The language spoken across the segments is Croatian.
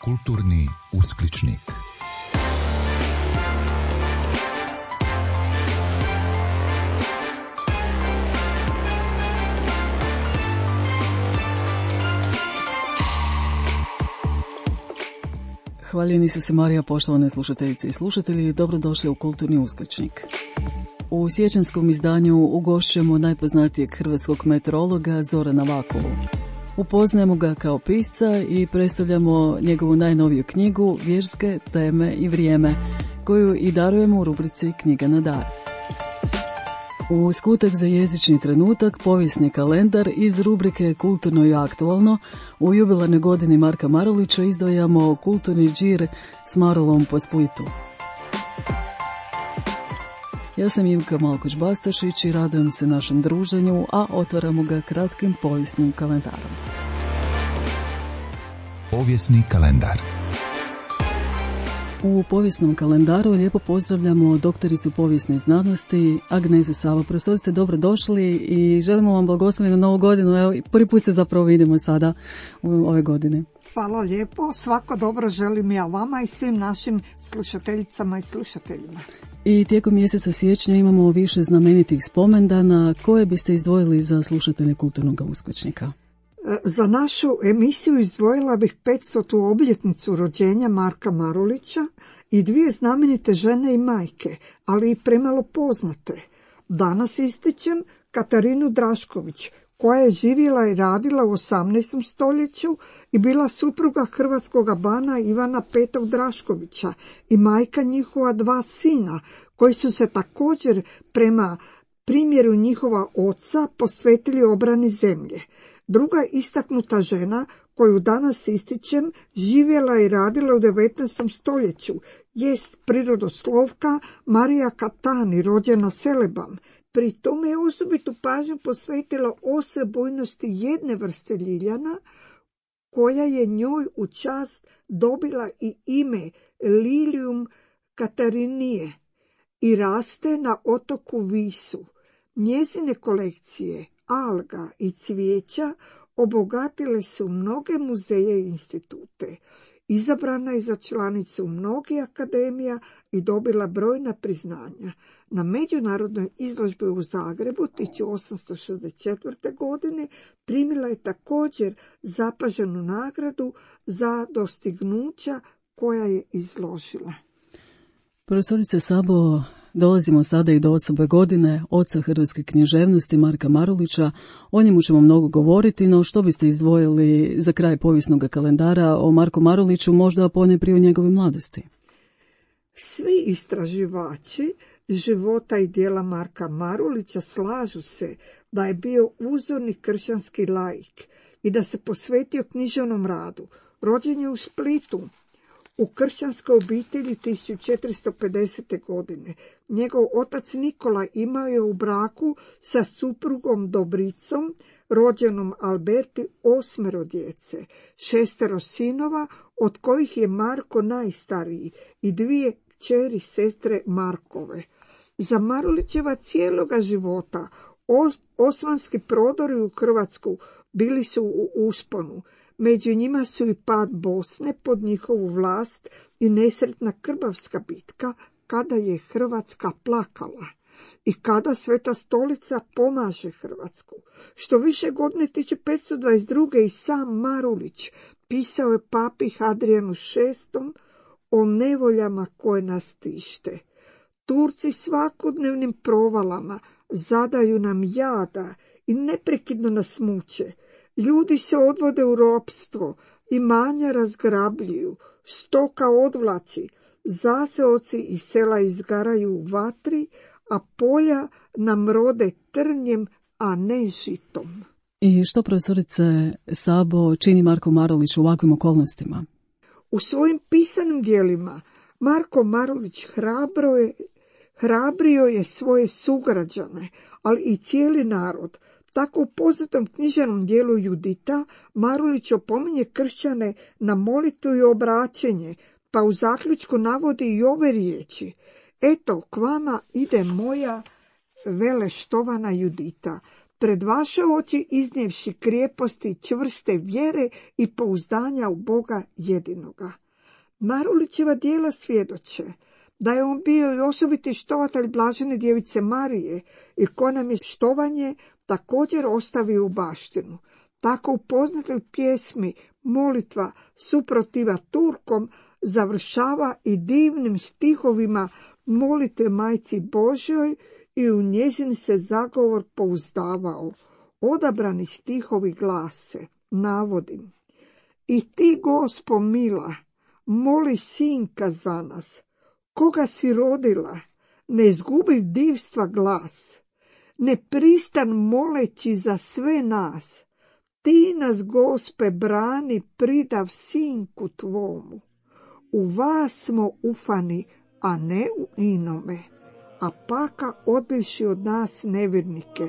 Kulturni uskličnik. Hvaljeni su se Marija, poštovane slušateljice i slušatelji, dobrodošli u Kulturni uskličnik. U siječanskom izdanju ugošćujemo najpoznatijeg hrvatskog meteorologa Zorana Vakovu. Upoznajemo ga kao pisca i predstavljamo njegovu najnoviju knjigu Vjerske teme i vrijeme, koju i darujemo u rubrici Knjiga na dar. U skutak za jezični trenutak povijesni kalendar iz rubrike Kulturno i aktualno u jubilarnoj godini Marka Marulića izdvajamo kulturni džir s Marulom po Splitu. Ja sam Ivka Malkoć-Bastašić i radujem se našem druženju, a otvaramo ga kratkim povijesnim kalendarom. Povijesni kalendar. U povijesnom kalendaru lijepo pozdravljamo doktoricu povijesne znanosti Agnezu Savo. Profesorice, dobrodošli i želimo vam blagoslovenu novu godinu. Evo, prvi put se zapravo vidimo sada u ove godine. Hvala lijepo. Svako dobro želim ja vama i svim našim slušateljicama i slušateljima. I tijekom mjeseca siječnja imamo više znamenitih spomendana. Koje biste izdvojili za slušatelje Kulturnog uskličnika? Za našu emisiju izdvojila bih 500. obljetnicu rođenja Marka Marulića i dvije znamenite žene i majke, ali i premalo poznate. Danas ističem Katarinu Drašković, koja je živjela i radila u 18. stoljeću i bila supruga hrvatskog bana Ivana V. Draškovića i majka njihova dva sina, koji su se također prema primjeru njihova oca posvetili obrani zemlje. Druga istaknuta žena koju danas ističem živjela i radila u 19. stoljeću jest prirodoslovka Marija Katani, rođena Selebam. Pri tome je osobitu pažnju posvetila osebujnosti jedne vrste ljiljana, koja je njoj u čast dobila i ime Lilium Katarinije i raste na otoku Visu. Njezine kolekcije alga i cvijeća obogatile su mnoge muzeje i institute. Izabrana je za članicu mnogih akademija i dobila brojna priznanja. Na međunarodnoj izložbi u Zagrebu 1864. godine primila je također zapaženu nagradu za dostignuća koja je izložila. Profesorice Sabo, dolazimo sada i do osobe godine, oca hrvatske književnosti Marka Marulića. O njemu ćemo mnogo govoriti, no što biste izdvojili za kraj povijesnog kalendara o Marku Maruliću, možda ponajprije o njegove mladosti? Svi istraživači života i djela Marka Marulića slažu se da je bio uzorni kršćanski laik i da se posvetio književnom radu. Rođen je u Splitu u kršćanskoj obitelji 1450. godine. Njegov otac Nikola imao je u braku sa suprugom Dobricom, rođenom Alberti, 8 djece, 6 sinova, od kojih je Marko najstariji, i 2 kćeri sestre Markove. Za Marulićeva cijeloga života osmanski prodori u Hrvatsku bili su u usponu. Među njima su i pad Bosne pod njihovu vlast i nesretna Krbavska bitka, kada je Hrvatska plakala i kada Sveta stolica pomaže Hrvatsku. Što više godine 1522. i sam Marulić pisao je papi Hadrijanu VI o nevoljama koje nas tište. Turci svakodnevnim provalama zadaju nam jada i neprekidno nas muče. Ljudi se odvode u ropstvo, imanja razgrabljuju, stoka odvlači, zaseoci i sela izgaraju u vatri, a polja nam rode trnjem, a ne žitom. I što, profesorice Sabo, čini Marko Marulić u ovakvim okolnostima? U svojim pisanim djelima Marko Marulić hrabrio je svoje sugrađane, ali i cijeli narod. Tako u poznatom književnom dijelu Judita Marulić opominje kršćane na molitvu i obraćenje, pa u zaključku navodi i ove riječi: eto, k vama ide moja veleštovana Judita. pred vaše oči iznijevši krijeposti i čvrste vjere i pouzdanja u Boga jedinoga. Marulićeva djela svjedoče da je on bio i osobiti štovatelj blažene djevice Marije i ko nam je štovanje također ostavio u baštinu. Tako u poznatoj pjesmi molitva suprotiva Turkom završava i divnim stihovima molitve Majci Božjoj i u njezin se zagovor pouzdavao. Odabrani stihovi glase, navodim: I ti, Gospo mila, moli sinka za nas, koga si rodila, ne izgubi divstva glas, ne pristan moleći za sve nas, ti nas, Gospe, brani, pridav sinku tvomu. U vas smo ufani, a ne u inome, a paka odbivši od nas nevjernike,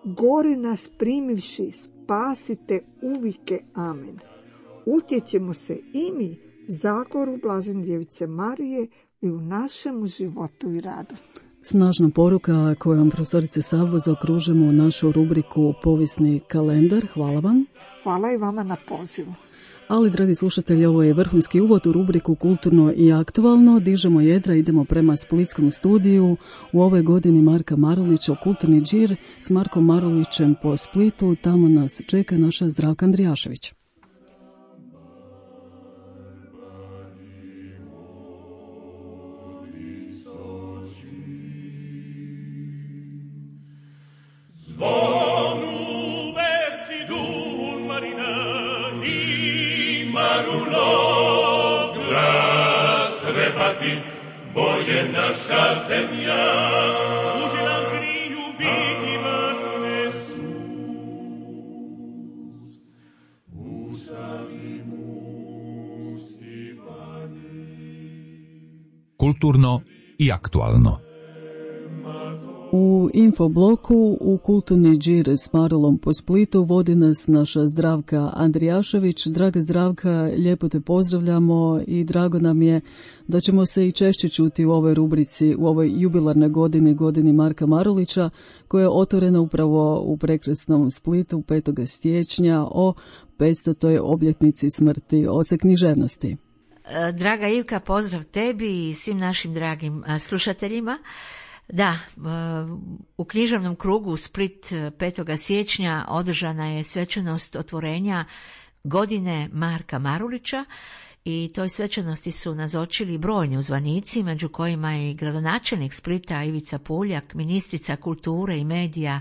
gori nas primivši, spasite uvike, amen. Utječemo se i mi zagoru blažene djevice Marije i u našemu životu i radu. Snažna poruka kojom profesorice Sabo zaokružimo našu rubriku Povijesni kalendar. Hvala vam. Hvala i vama na pozivu. Ali, dragi slušatelji, ovo je vrhunski uvod u rubriku Kulturno i aktualno. Dižemo jedra, idemo prema splitskom studiju. U ovoj godini Marka Marulića u Kulturni džir s Markom Marulićem po Splitu. Tamo nas čeka naša Zdravka Andrijašević. Zvonu versi d'un marinai, Marullo, glas rebati, bo je naša zemlja. Uži nam griju vidi vas Isus, ustavi mu Stipani. Kulturno i aktualno. U infobloku u Kulturni džir s Marulom po Splitu vodi nas naša Zdravka Andrijašević. Draga Zdravka, lijepo te pozdravljamo i drago nam je da ćemo se i češće čuti u ovoj rubrici, u ovoj jubilarnoj godini Marka Marulića, koja je otvorena upravo u prekrasnom Splitu 5. siječnja o 500. obljetnici smrti oca književnosti. Draga Ivka, pozdrav tebi i svim našim dragim slušateljima. Da, u književnom krugu Split 5. siječnja održana je svečanost otvorenja godine Marka Marulića i toj svečanosti su nazočili brojni uzvanici, među kojima je i gradonačelnik Splita Ivica Puljak, ministrica kulture i medija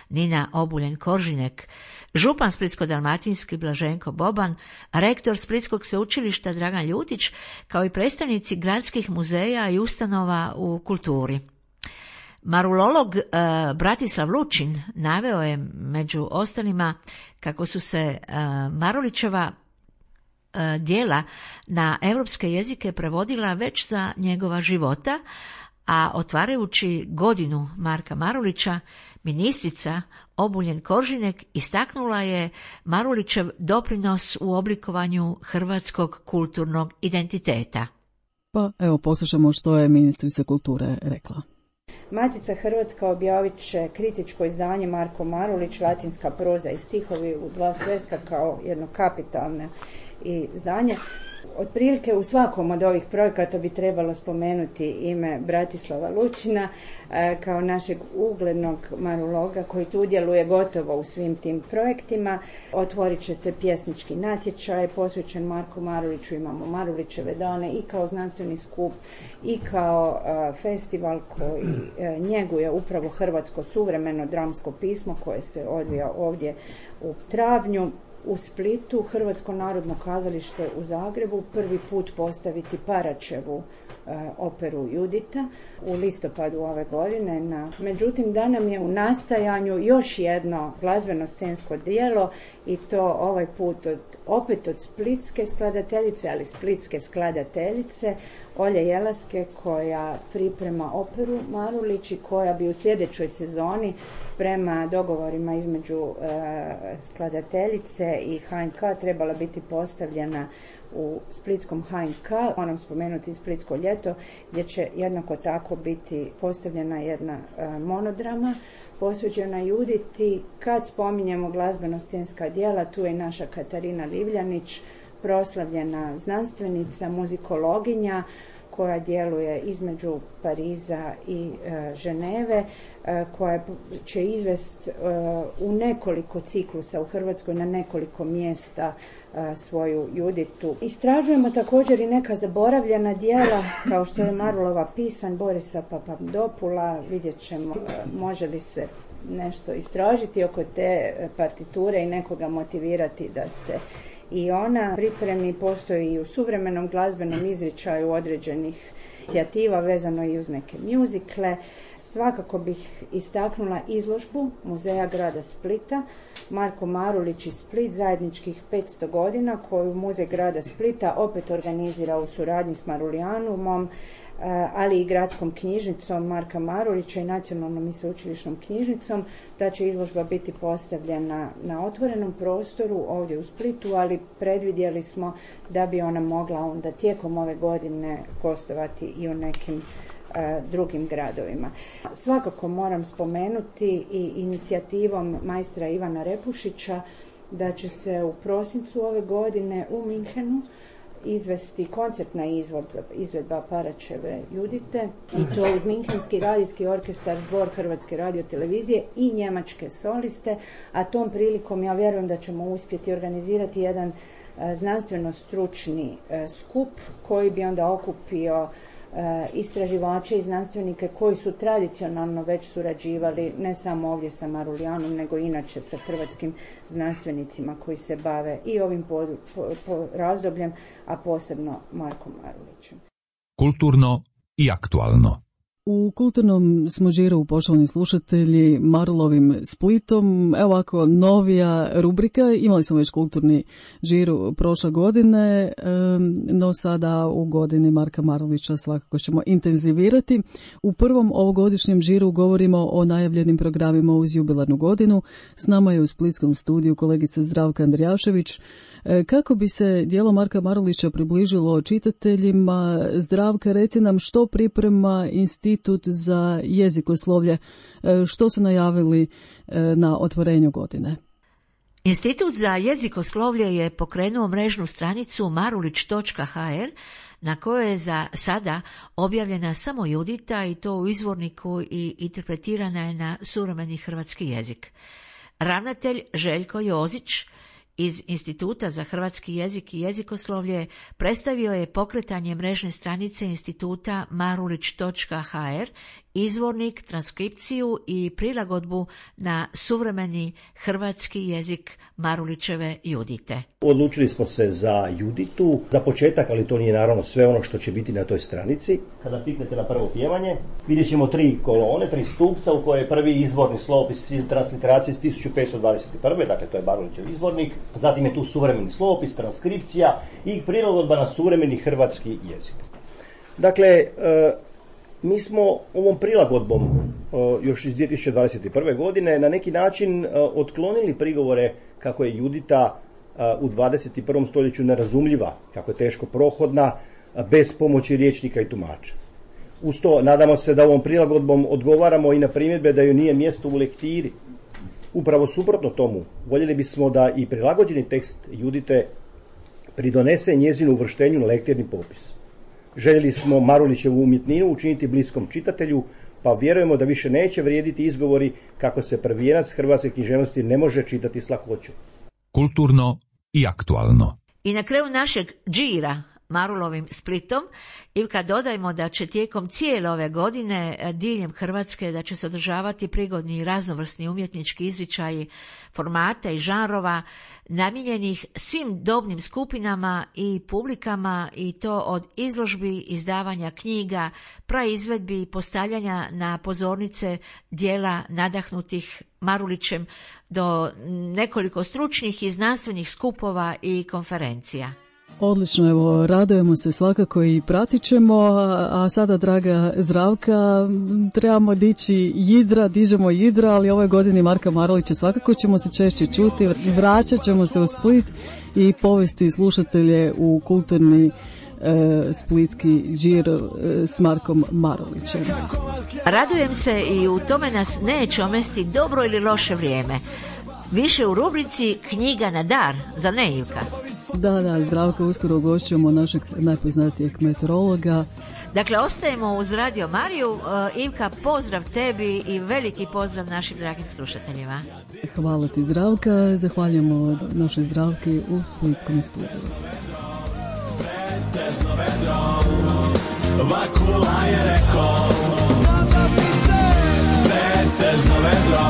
Nina Obuljen-Koržinek, župan Splitsko-dalmatinski Blaženko Boban, rektor Splitskog sveučilišta Dragan Ljutić, kao i predstavnici gradskih muzeja i ustanova u kulturi. Marulolog Bratislav Lučin naveo je među ostalima kako su se Marulićeva djela na europske jezike prevodila već za njegova života, a otvarajući godinu Marka Marulića, ministrica Obuljen-Koržinek istaknula je Marulićev doprinos u oblikovanju hrvatskog kulturnog identiteta. Pa evo poslušamo što je ministrica kulture rekla. Matica Hrvatska objavit će kritičko izdanje Marko Marulić, latinska proza i stihovi u 2 sveska kao jedno kapitalno izdanje. Otprilike u svakom od ovih projekata bi trebalo spomenuti ime Bratislava Lučina kao našeg uglednog maruloga koji sudjeluje gotovo u svim tim projektima. Otvorit će se pjesnički natječaj posvećen Marku Maruliću, imamo Marulićeve dane i kao znanstveni skup i kao festival koji njeguje upravo hrvatsko suvremeno dramsko pismo koje se odvija ovdje u travnju. U Splitu Hrvatsko narodno kazalište u Zagrebu prvi put postaviti Paraćevu operu Judita u listopadu ove godine. Međutim, da nam je u nastajanju još jedno glazbeno scensko djelo i to ovaj put opet od splitske skladateljice, ali splitske skladateljice Olje Jelaske, koja priprema operu Marulić i koja bi u sljedećoj sezoni prema dogovorima između skladateljice i HNK trebala biti postavljena u splitskom HNK, moram spomenuti Splitsko ljeto, gdje će jednako tako biti postavljena jedna monodrama posvećena Juditi. Kad spominjemo glazbeno-scenska djela, tu je naša Katarina Livljanić, proslavljena znanstvenica, muzikologinja, koja djeluje između Pariza i Ženeve, koja će izvesti u nekoliko ciklusa u Hrvatskoj na nekoliko mjesta svoju Juditu. Istražujemo također i neka zaboravljena djela, kao što je Marulova pisan Borisa Papadopula. Vidjet ćemo može li se nešto istražiti oko te partiture i nekoga motivirati da se i ona pripremi. Postoji i u suvremenom glazbenom izričaju određenih inicijativa vezano i uz neke mjuzikle. Svakako bih istaknula izložbu Muzeja grada Splita Marko Marulić i Split, zajedničkih 500 godina, koju Muzej grada Splita opet organizira u suradnji s Marulijanumom, ali i gradskom knjižnicom Marka Marulića i nacionalnom i sveučilišnom knjižnicom. Ta će izložba biti postavljena na otvorenom prostoru ovdje u Splitu, ali predvidjeli smo da bi ona mogla onda tijekom ove godine gostovati i u nekim drugim gradovima. Svakako moram spomenuti i inicijativom majstra Ivana Repušića da će se u prosincu ove godine u Minhenu izvesti koncertna izvedba Paraćeve Judite, i to uz Minhenski radijski orkestar, zbor Hrvatske radiotelevizije i njemačke soliste, a tom prilikom ja vjerujem da ćemo uspjeti organizirati jedan znanstveno-stručni skup koji bi onda okupio istraživače i znanstvenike koji su tradicionalno već surađivali ne samo ovdje sa Marulijanom, nego inače sa hrvatskim znanstvenicima koji se bave i ovim razdobljem, a posebno Markom Marulićem. Kulturno i aktualno. U kulturnom smo žiru, poštovani slušatelji, Marulovim Splitom. Evo ovako, novija rubrika. Imali smo već kulturni žiru prošle godine, no sada u godini Marka Marulića svakako ćemo intenzivirati. U prvom ovogodišnjem žiru govorimo o najavljenim programima uz jubilarnu godinu. S nama je u splitskom studiju kolegica Zdravka Andrijašević. Kako bi se djelo Marka Marulića približilo čitateljima, Zdravka, reci nam što priprema Institut za jezikoslovlje, što su najavili na otvorenju godine? Institut za jezikoslovlje je pokrenuo mrežnu stranicu marulić.hr na kojoj je za sada objavljena samo Judita, i to u izvorniku, i interpretirana je na suvremeni hrvatski jezik. Ravnatelj Željko Jozić iz Instituta za hrvatski jezik i jezikoslovlje predstavio je pokretanje mrežne stranice instituta marulić.hr, izvornik, transkripciju i prilagodbu na suvremeni hrvatski jezik Marulićeve Judite. Odlučili smo se za Juditu, za početak, ali to nije naravno sve ono što će biti na toj stranici. Kada kliknete na prvo pjevanje, vidjet ćemo 3 kolone, 3 stupca u kojoj je prvi izvorni slovopis transliteracije iz 1521. Dakle, to je Marulićev izvornik. Zatim je tu suvremeni slovopis, transkripcija i prilagodba na suvremeni hrvatski jezik. Dakle, mi smo ovom prilagodbom još iz 2021. godine na neki način otklonili prigovore kako je Judita u 21. stoljeću nerazumljiva, kako je teško prohodna, bez pomoći rječnika i tumača. Uz to nadamo se da ovom prilagodbom odgovaramo i na primjedbe da joj nije mjesto u lektiri. Upravo suprotno tomu, voljeli bismo da i prilagođeni tekst Judite pridonese njezinu uvrštenju na lektirni popis. Željeli smo Marulićevu umjetninu učiniti bliskom čitatelju, pa vjerujemo da više neće vrijediti izgovori kako se prvijenac hrvatske književnosti ne može čitati s lakoćom. Kulturno i aktualno. I na kraju našeg džira Marulovim Splitom, Ivka, dodajmo da će tijekom cijele ove godine diljem Hrvatske da će se održavati prigodni i raznovrsni umjetnički izričaji formata i žanrova namijenjenih svim dobnim skupinama i publikama, i to od izložbi, izdavanja knjiga, praizvedbi i postavljanja na pozornice dijela nadahnutih Marulićem do nekoliko stručnih i znanstvenih skupova i konferencija. Odlično, evo, radujemo se svakako i pratit ćemo, a sada, draga Zdravka, trebamo dići jidra, dižemo jidra, ali ove godine Marka Marulića svakako ćemo se češće čuti, vraćat ćemo se u Split i povesti slušatelje u kulturni splitski Điro s Markom Marulićem. Radujem se i u tome nas neće omesti dobro ili loše vrijeme. Više u rubrici Knjiga na dar, za ne Ivka? Da, Zdravko, uskoro ugošćujemo našeg najpoznatijeg meteorologa. Dakle, ostajemo uz Radio Mariju. Ivka, pozdrav tebi i veliki pozdrav našim dragim slušateljima. Hvala ti, Zdravka. Zahvaljujemo našoj Zdravki u splitskom studiju. Vakula je rekao, pretežno vedro,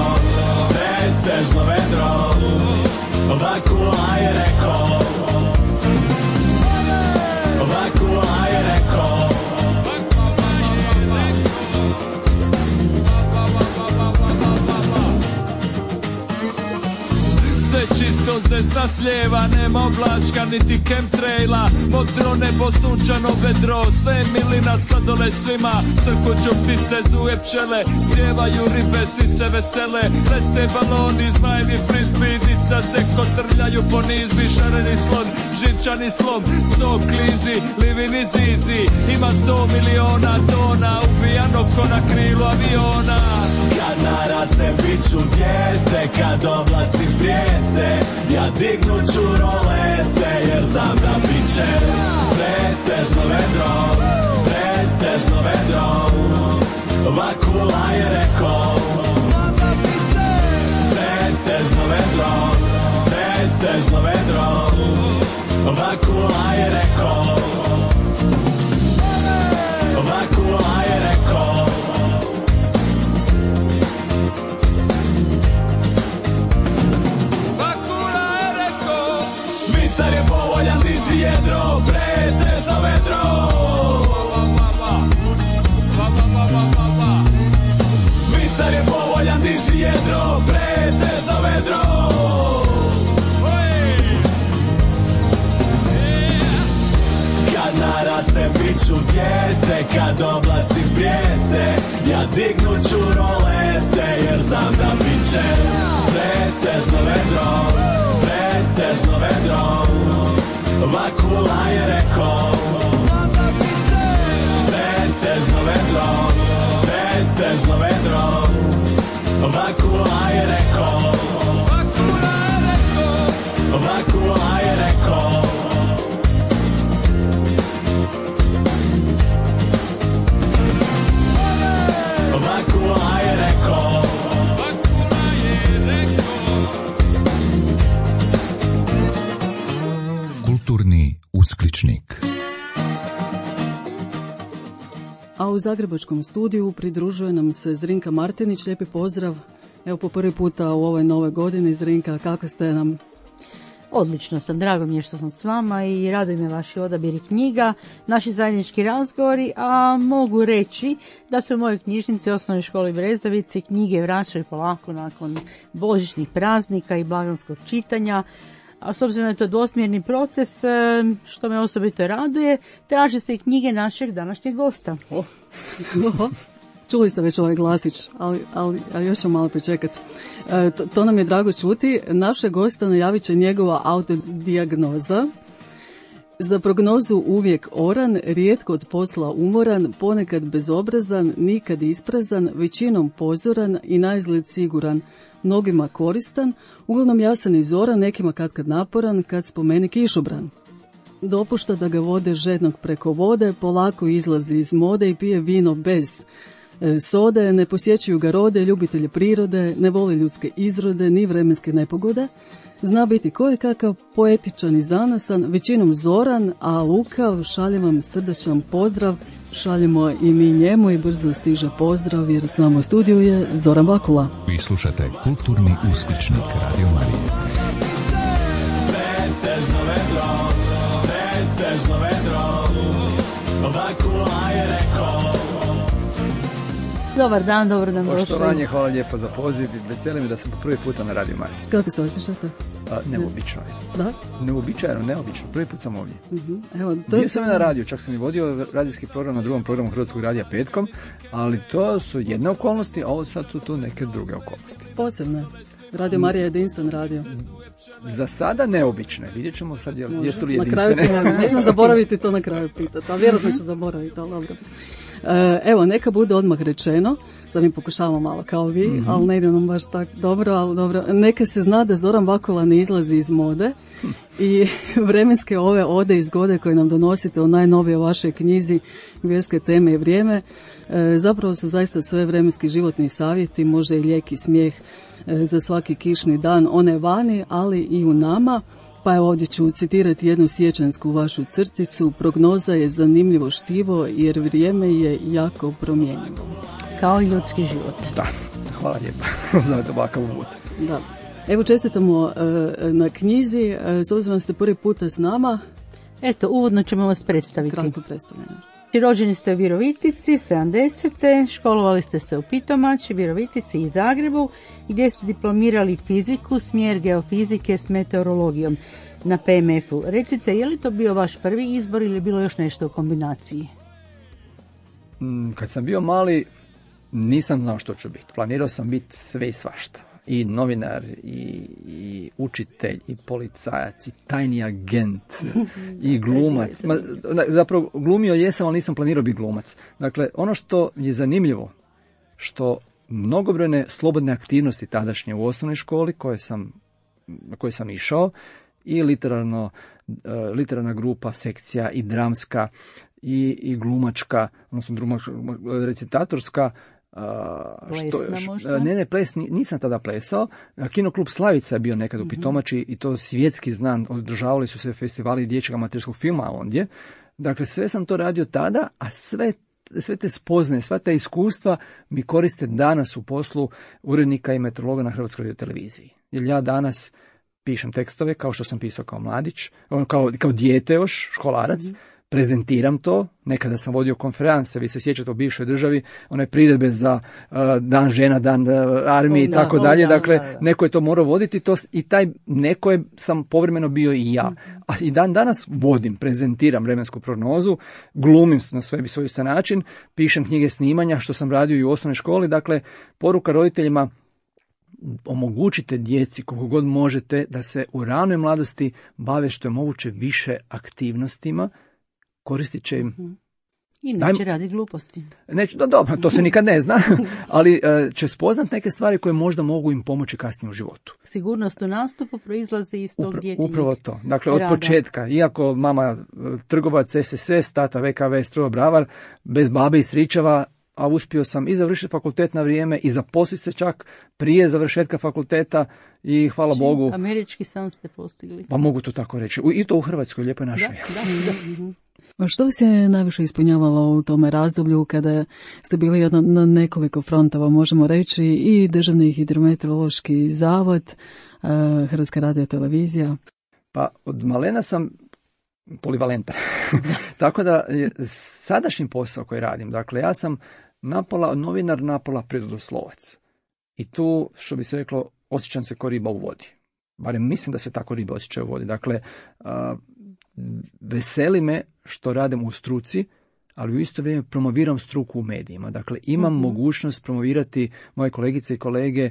pretežno vedro. Vakula je rekao, Vakula je rekao. Sve čisto s desna s lijeva, nema oblačka niti chemtraila. Modro nebo, sunčano vedro, sve je milina, sladoled svima. Crkuću ptice, zuje pčele, sjevaju ribe, svi se vesele. Lete baloni, zmajevi frisbee, dica se kotrljaju po nizbi. Šareni slon, živčani slom, 100 klizi, livini zizi. Ima 100 miliona tona, ubijano ko na krilu aviona. Kad naraste bit ću dijete, kad oblaci prijete, ja dignut ću rolete, jer znam da bit će pretežno vedro, pretežno vedro. Vakula je rekao, pretežno vedro, pretežno vedro. Vakula je rekao, Vakula je rekao. Vitar je povoljan, diži jedro, pretežno vedro. Vitar je povoljan, diži jedro, pretežno vedro. Kad naraste bit ću dijete, kad oblaci prijete, ja dignut ću rolete, jer znam da bit će pretežno vedro, pretežno vedro. Vakula je rekao, pretežno vedro, pretežno vedro. Vakula je rekao, Vakula je rekao. Vakula je rekao, Vakula je rekao. Kulturni uskličnik. A u zagrebačkom studiju pridružuje nam se Zrinka Martinić. Lijepi pozdrav. Evo po prvi puta u ovoj nove godini. Zrinka, kako ste nam? Odlično sam, drago mi je što sam s vama i raduje me vaši odabiri knjiga, naši zajednički razgovori, a mogu reći da se u mojoj knjižnici Osnovnoj školi Brezovici knjige vraćaju polako nakon božićnih praznika i blagdanskog čitanja. A s obzirom da je to dvosmjerni proces, što me osobito raduje, traže se i knjige našeg današnjeg gosta. Čuli ste već ovaj glasić, ali još ćemo malo pričekati. To nam je drago čuti. Našeg gosta najavit će njegova autodijagnoza. Za prognozu uvijek oran, rijetko od posla umoran, ponekad bezobrazan, nikad isprazan, većinom pozoran i naizgled siguran, mnogima koristan, uglavnom jasan i zoran, nekima katkad naporan, kad spomeni kišobran. Dopušta da ga vode žednog preko vode, polako izlazi iz mode i pije vino bez sode, ne posjećuju ga rode, ljubitelji prirode, ne voli ljudske izrode ni vremenske nepogode, zna biti kojekakav, poetičan i zanosan, većinom zoran, a lukav, šaljem vam srdačan pozdrav, šaljemo i mi njemu i brzo stiže pozdrav jer s nama u studiju je Zoran Vakula. Vi slušate Kulturni uskličnik Radio Marije. Pretežno vedro, pretežno vedro. Vakula je rekao. Dobar dan, dobro nam došli. Poštovanje, hvala lijepo za poziv. Veseli mi da sam po prvi puta na Radio Mariji. Kako se osjećate? Neobično je. Da? Neobičajno, neobično. Prvi put sam ovdje. Evo, Bio sam na radiju, čak sam i vodio radijski program na drugom programu Hrvatskog radija petkom, ali to su jedne okolnosti, a ovo sad su tu neke druge okolnosti. Posebne. Radio Marija je jedinstven radio. Za sada neobične. Vidjet ćemo sad jesu li Na jedinstvene. kraju ćemo, nećemo zaboraviti to na kraju pitati, a vjerojatno ću zaboraviti, ali dobro. Evo, neka bude odmah rečeno, sad mi pokušavamo malo kao vi, ali ne ide nam baš tako dobro, ali dobro. Neka se zna da Zoran Vakula ne izlazi iz mode i vremenske ove ode i zgode koje nam donosite u najnovijoj vašoj knjizi Vjerske teme i vrijeme, zapravo su zaista sve vremenski životni savjeti, može i lijek i smijeh za svaki kišni dan, one vani, ali i u nama. Pa evo ovdje ću citirati jednu siječansku vašu crticu. Prognoza je zanimljivo štivo jer vrijeme je jako promjenjivo. Kao i ljudski život. Da, hvala lijepa. Znate ovakav uvod. Da. Evo čestitamo na knjizi. S obzirom da ste prvi puta s nama. Eto, uvodno ćemo vas predstaviti. Kratko predstavljeno. Rođeni ste u Virovitici, 70. Školovali ste se u Pitomači, Virovitici i Zagrebu, gdje ste diplomirali fiziku, smjer geofizike s meteorologijom na PMF-u. Recite, je li to bio vaš prvi izbor ili je bilo još nešto u kombinaciji? Kad sam bio mali, nisam znao što ću biti. Planirao sam biti sve i svašta. I novinar, i učitelj, i policajac, i tajni agent, i glumac. Zapravo, glumio jesam, ali nisam planirao biti glumac. Dakle, ono što je zanimljivo, što mnogobrojne slobodne aktivnosti tadašnje u osnovnoj školi koje sam išao, i literarna grupa, sekcija, i dramska, i glumačka, odnosno recitatorska, ples nisam tada plesao. Kinoklub Slavica je bio nekad u Pitomači i to svjetski znan, održavali su se festivali dječjeg amaterskog filma ondje. Dakle, sve sam to radio tada, a sve te spoznaje, sva ta iskustva mi koriste danas u poslu urednika i meteorologa na Hrvatskoj radioteleviziji. Jer ja danas pišem tekstove kao što sam pisao kao mladić, kao dijete još, školarac, prezentiram to, nekada sam vodio konferencije, vi se sjećate u bivšoj državi, one priredbe za dan žena, dan armije i tako dalje, dakle, neko je to morao voditi to, i taj neko sam povremeno bio i ja. A i danas vodim, prezentiram vremensku prognozu, glumim na svoj način, pišem knjige snimanja, što sam radio i u osnovnoj školi, dakle, poruka roditeljima, omogućite djeci koliko god možete da se u ranoj mladosti bave što je moguće više aktivnostima, koristit će im. I neće raditi gluposti. Dobro, to se nikad ne zna, ali će spoznat neke stvari koje možda mogu im pomoći kasnije u životu. Sigurnost u nastupu proizlazi iz tog djetinjeg upravo to. Dakle, od početka, iako mama trgovac SSS, tata VKV strojobravar, bez babe i stričeva, a uspio sam i završiti fakultet na vrijeme i zaposliti se čak prije završetka fakulteta i hvala Bogu. Američki san ste postigli. Pa mogu to tako reći. I to u Hrvatskoj, lijepo našoj. Da. Što vas je najviše ispunjavalo u tome razdoblju kada ste bili na nekoliko frontova, možemo reći, i Državni hidrometeorološki zavod, Hrvatska radiotelevizija? Pa od malena sam polivalentan. Tako da je sadašnji posao koji radim, dakle ja sam napola novinar, napola prirodoslovac. I tu, što bi se reklo, osjećam se kao riba u vodi. Barem mislim da se tako riba osjećaju u vodi. Dakle, veseli me što radim u struci, ali u isto vrijeme promoviram struku u medijima. Dakle, imam mogućnost promovirati moje kolegice i kolege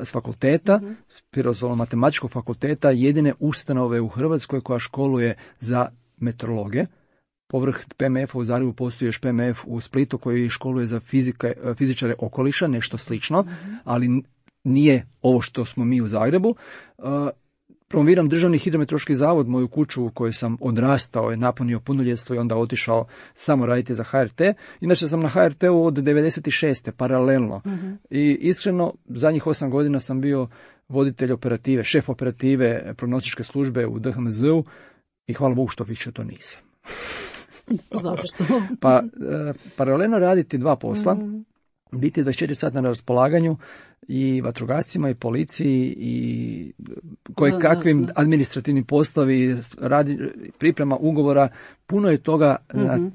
s fakulteta, s Prirodoslovno-matematičkog fakulteta, jedine ustanove u Hrvatskoj koja školuje za meteorologe. Povrh PMF-a u Zagrebu postoji još PMF u Splitu koji školuje za fizičare okoliša, nešto slično, ali nije ovo što smo mi u Zagrebu. Promoviram Državni hidrometeorološki zavod, moju kuću u kojoj sam odrastao, je napunio punoljetstvo i onda otišao samo raditi za HRT. Inače sam na HRT-u od 96. paralelno. I iskreno, zadnjih 8 godina sam bio voditelj operative, šef operative prognostičke službe u DHMZ-u i hvala Bogu što više to nisam. Zašto? Pa paralelno raditi dva posla, biti 24 sata na raspolaganju i vatrogascima i policiji i kakvim administrativnim poslovi, priprema ugovora, puno je toga na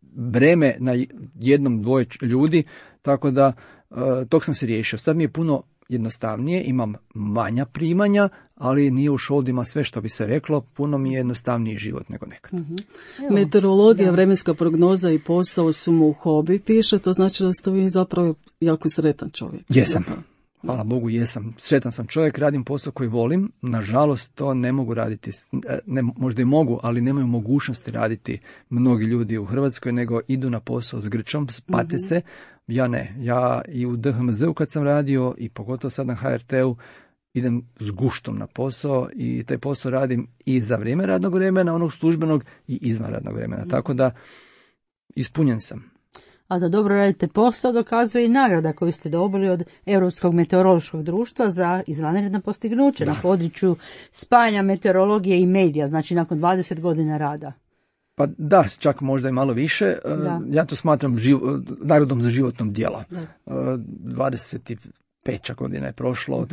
breme na jednom, dvoje ljudi, tako da tog sam se riješio. Sad mi je puno jednostavnije, imam manja primanja, ali nije u šoldima sve što bi se reklo, puno mi je jednostavniji život nego nekad. Meteorologija, vremenska prognoza i posao su mu hobi, piše, to znači da ste vi zapravo jako sretan čovjek. Jesam. Hvala Bogu, jesam. Sretan sam čovjek, radim posao koji volim. Nažalost, to ne mogu raditi. Možda i mogu, ali nemaju mogućnosti raditi mnogi ljudi u Hrvatskoj, nego idu na posao s grčom, pate se. Ja ne. Ja i u DHMZ-u kad sam radio i pogotovo sad na HRT-u idem s guštom na posao i taj posao radim i za vrijeme radnog vremena, onog službenog i izvan radnog vremena. Tako da ispunjen sam. A da dobro radite posao dokazuje i nagrada koju ste dobili od Europskog meteorološkog društva za izvanredna postignuća na području spajanja meteorologije i medija, znači nakon 20 godina rada. Pa da, čak možda i malo više. Ja to smatram nagradom za životnom djela. 25 godina je prošlo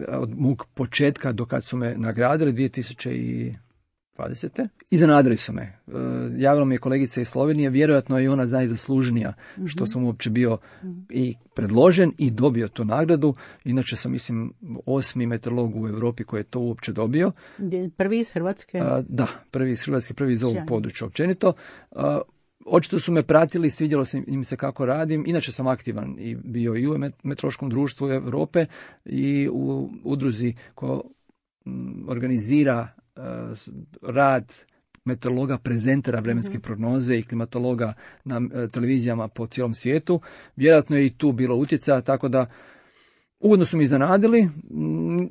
od mog početka do kad su me nagradili 2020. Iznenadili su me. Javila mi je kolegica iz Slovenije, vjerojatno je ona najzaslužnija što sam uopće bio i predložen i dobio tu nagradu. Inače sam, mislim, 8. meteorolog u Europi koji je to uopće dobio. Prvi iz Hrvatske? Da, prvi iz Hrvatske, prvi iz ovog područja općenito. Očito su me pratili, svidjelo im se kako radim. Inače sam aktivan i bio i u meteorološkom društvu Europe i u udruzi koja organizira rad meteorologa, prezentera vremenske prognoze i klimatologa na televizijama po cijelom svijetu. Vjerojatno je i tu bilo utjecaja, tako da ugodno su mi iznenadili.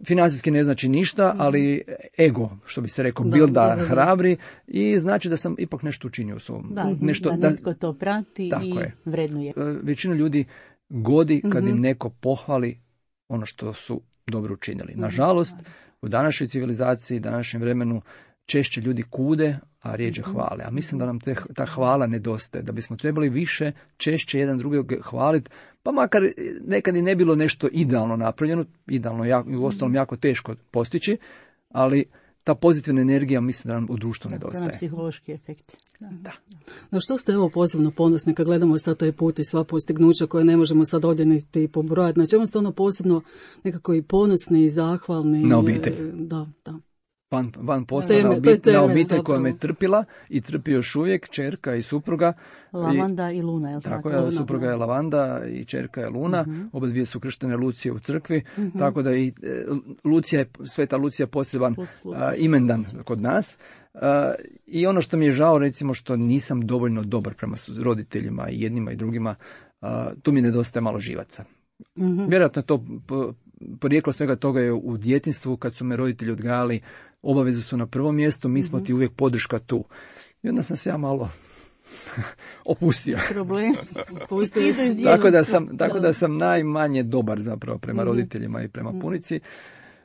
Financijski ne znači ništa, ali ego, što bi se rekao, bilda hrabri i znači da sam ipak nešto učinio u svom. Da netko to prati i vrednuje. Većina ljudi godi kad im neko pohvali ono što su dobro učinili. Nažalost, u današnjoj civilizaciji, današnjem vremenu, češće ljudi kude, a rijeđe hvale. A mislim da nam ta hvala nedostaje, da bismo trebali više, češće jedan drugog hvaliti, pa makar nekad i ne bilo nešto idealno napravljeno, idealno i uostalom jako teško postići, ali ta pozitivna energija mislim da nam u društvu nedostaje. To je psihološki efekt. Da. Na što ste posebno ponosni kad gledamo sad taj put i sva postignuća koje ne možemo sad odjeniti i pobrojati? Na čemu ste možda nekako i ponosni i zahvalni? Na obitelj. Da. Van posla na obitelj koja me trpila i trpi još uvijek, čerka i supruga. Lavanda i Luna, je li tako? Tako je, supruga je Lavanda i čerka je Luna. Oba dvije su krštene Lucije u crkvi, tako da i Sveta Lucija poseban imendan kod nas. I ono što mi je žao, recimo, što nisam dovoljno dobar prema roditeljima i jednima i drugima, tu mi nedostaje malo živaca. Vjerojatno je to porijeklo svega toga je u djetinjstvu, kad su me roditelji odgajali, obaveze su na prvom mjestu, mi smo ti uvijek podrška tu. I onda sam se ja malo opustio. Problem. Tako da sam najmanje dobar zapravo prema roditeljima i prema punici.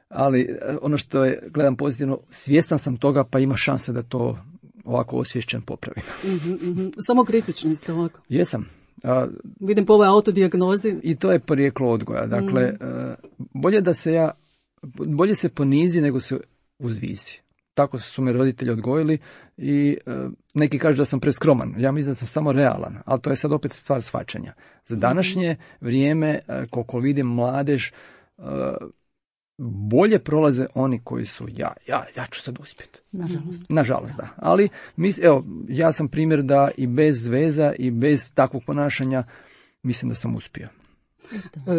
Ali ono što je, gledam pozitivno, svjestan sam toga, pa ima šanse da to ovako osvješćen popravim. Samo kritični ste ovako. Jesam. Vidim po ovoj autodijagnozi. I to je porijeklo odgoja. Dakle, bolje se ponizi nego se uzvisi. Tako su me roditelji odgojili i neki kažu da sam preskroman. Ja mislim da sam samo realan, ali to je sad opet stvar shvaćanja. Za današnje vrijeme, koliko vidim mladež, bolje prolaze oni koji su ja ću sad uspjeti. Nažalost, da. Ali ja sam primjer da i bez veza i bez takvog ponašanja mislim da sam uspio.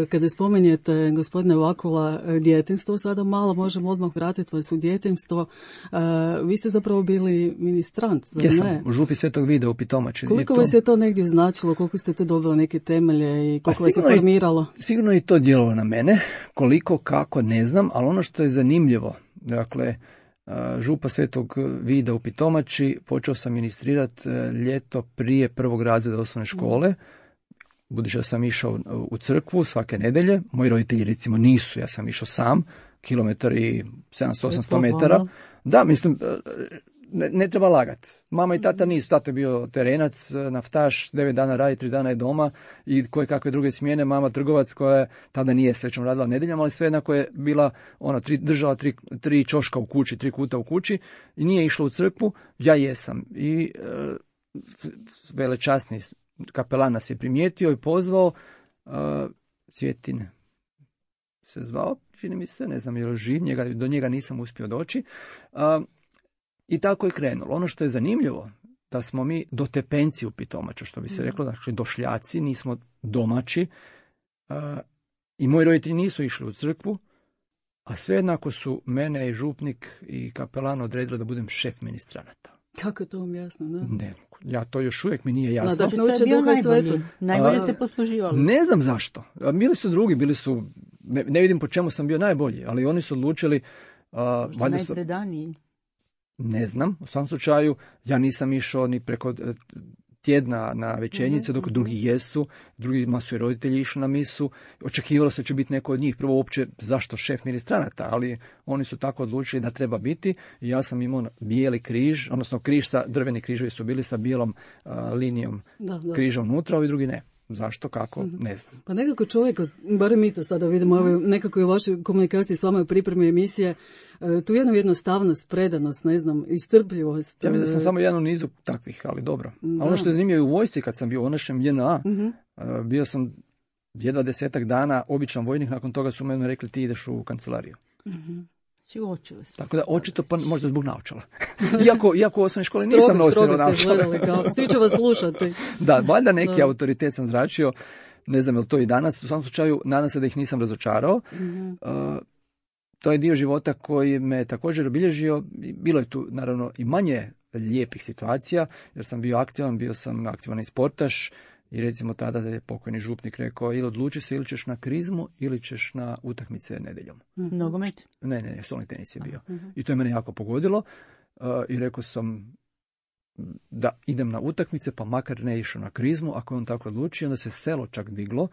Kada spominjete, gospodine Vakula, djetinjstvo, sada malo možemo odmah vratiti vas u djetinjstvo. Vi ste zapravo bili ministrant, zar ne? Jesam, u župi Svetog Vida u Pitomači. Koliko vas je to negdje značilo, koliko ste tu dobili neke temelje i koliko vas je formiralo? Sigurno je to djelovalo na mene, koliko, kako, ne znam, ali ono što je zanimljivo, dakle, župa Svetog Vida u Pitomači, počeo sam ministrirati ljeto prije 1. razreda osnovne škole. Budući da sam išao u crkvu svake nedjelje, moji roditelji recimo nisu, ja sam išao sam, kilometar i 700-800 metara. Da, mislim, ne treba lagati. Mama i tata nisu, tata je bio terenac, naftaš, 9 dana radi, 3 dana je doma i koje kakve druge smjene, mama trgovac koja tada nije srećom radila nedjeljama, ali sve jednako je bila, držala tri čoška u kući, 3 kuta u kući i nije išla u crkvu, ja jesam. I velečasni kapelan nas je primijetio i pozvao, Cvjetin se zvao, čini mi se, ne znam je li živ, do njega nisam uspio doći. I tako je krenulo. Ono što je zanimljivo, da smo mi dotepenci u Pitomaču, što bi se reklo, znači došljaci, nismo domaći. I moji roditelji nisu išli u crkvu, a sve jednako su mene i župnik i kapelan odredili da budem šef ministranata. Kako je to vam jasno, da? Ne, ja to još uvijek mi nije jasno. Da nauče Duha Svetog. Najbolje ste posluživali. Ne znam zašto. Bili su drugi, ne vidim po čemu sam bio najbolji, ali oni su odlučili... Najpredaniji. Ne znam, u svakom slučaju, ja nisam išao ni preko tjedna na večernjice, dok drugi jesu, drugima su i roditelji išli na misu, očekivalo se da će biti neko od njih, prvo uopće zašto šef ministranata, ali oni su tako odlučili da treba biti i ja sam imao bijeli križ, odnosno drveni križevi su bili sa bijelom linijom križa unutra, ovi drugi ne. Zašto, kako, ne znam. Pa nekako čovjek, barem mi to sada vidimo, nekako i u vašoj komunikaciji s vama u pripremi emisije, tu jednu jednostavnost, predanost, ne znam, istrpljivost. Ja mislim da sam samo jedan u nizu takvih, ali dobro. A ono što je zanimljivo u vojsci, kad sam bio u našem JNA, bio sam jedva 10 dana običan vojnik, nakon toga su meni rekli ti ideš u kancelariju. Tako da očito pa možda zbog naočala. Iako u osnovnoj školi nisam nosio naočala. Svi će vas slušati. Da, valjda neki autoritet sam zračio, ne znam je li to i danas, u svakom slučaju nadam se da ih nisam razočarao. To je dio života koji me također obilježio, bilo je tu naravno i manje lijepih situacija, jer sam bio sam aktivan i sportaš, i recimo tada je pokojni župnik rekao ili odluči se ili ćeš na krizmu ili ćeš na utakmice nedjeljom. Nogomet? Ne, stolni tenis je bio. I to je mene jako pogodilo i rekao sam da idem na utakmice pa makar ne išao na krizmu, ako je on tako odlučio, onda se selo čak diglo,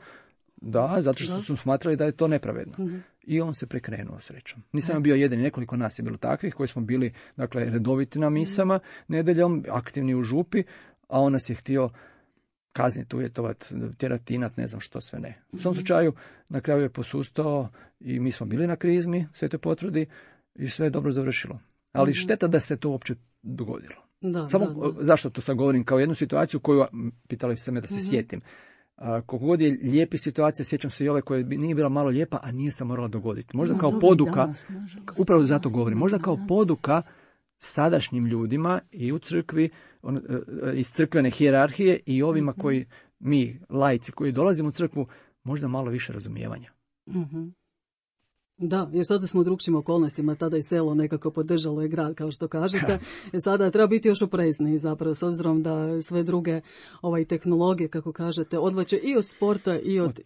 zato što su smatrali da je to nepravedno. I on se prekrenuo srećom. Nisam bio jedan, nekoliko nas je bilo takvih koji smo bili redoviti na misama nedjeljom, aktivni u župi, a on nas je htio kazniti, uvjetovati, tjeratinat, ne znam što sve ne. U svom slučaju, na kraju je posustao i mi smo bili na krizmi, sve to potvrdi i sve je dobro završilo. Ali šteta da se to uopće dogodilo. Zašto to sad govorim? Kao jednu situaciju koju, pitali se me da se sjetim. Koliko god je lijepi situacija, sjećam se i ove koja nije bila malo lijepa, a nije se morala dogoditi. Možda kao poduka, upravo zato govorim, možda kao poduka sadašnjim ljudima i u crkvi, iz crkvene hijerarhije i ovima koji, mi, laici koji dolazimo u crkvu, možda malo više razumijevanja. Da, jer sada smo u drugčijim okolnostima, tada je selo nekako podržalo i grad, kao što kažete. Sada treba biti još oprezniji zapravo, s obzirom da sve druge tehnologije, kako kažete, odvlače i od sporta i od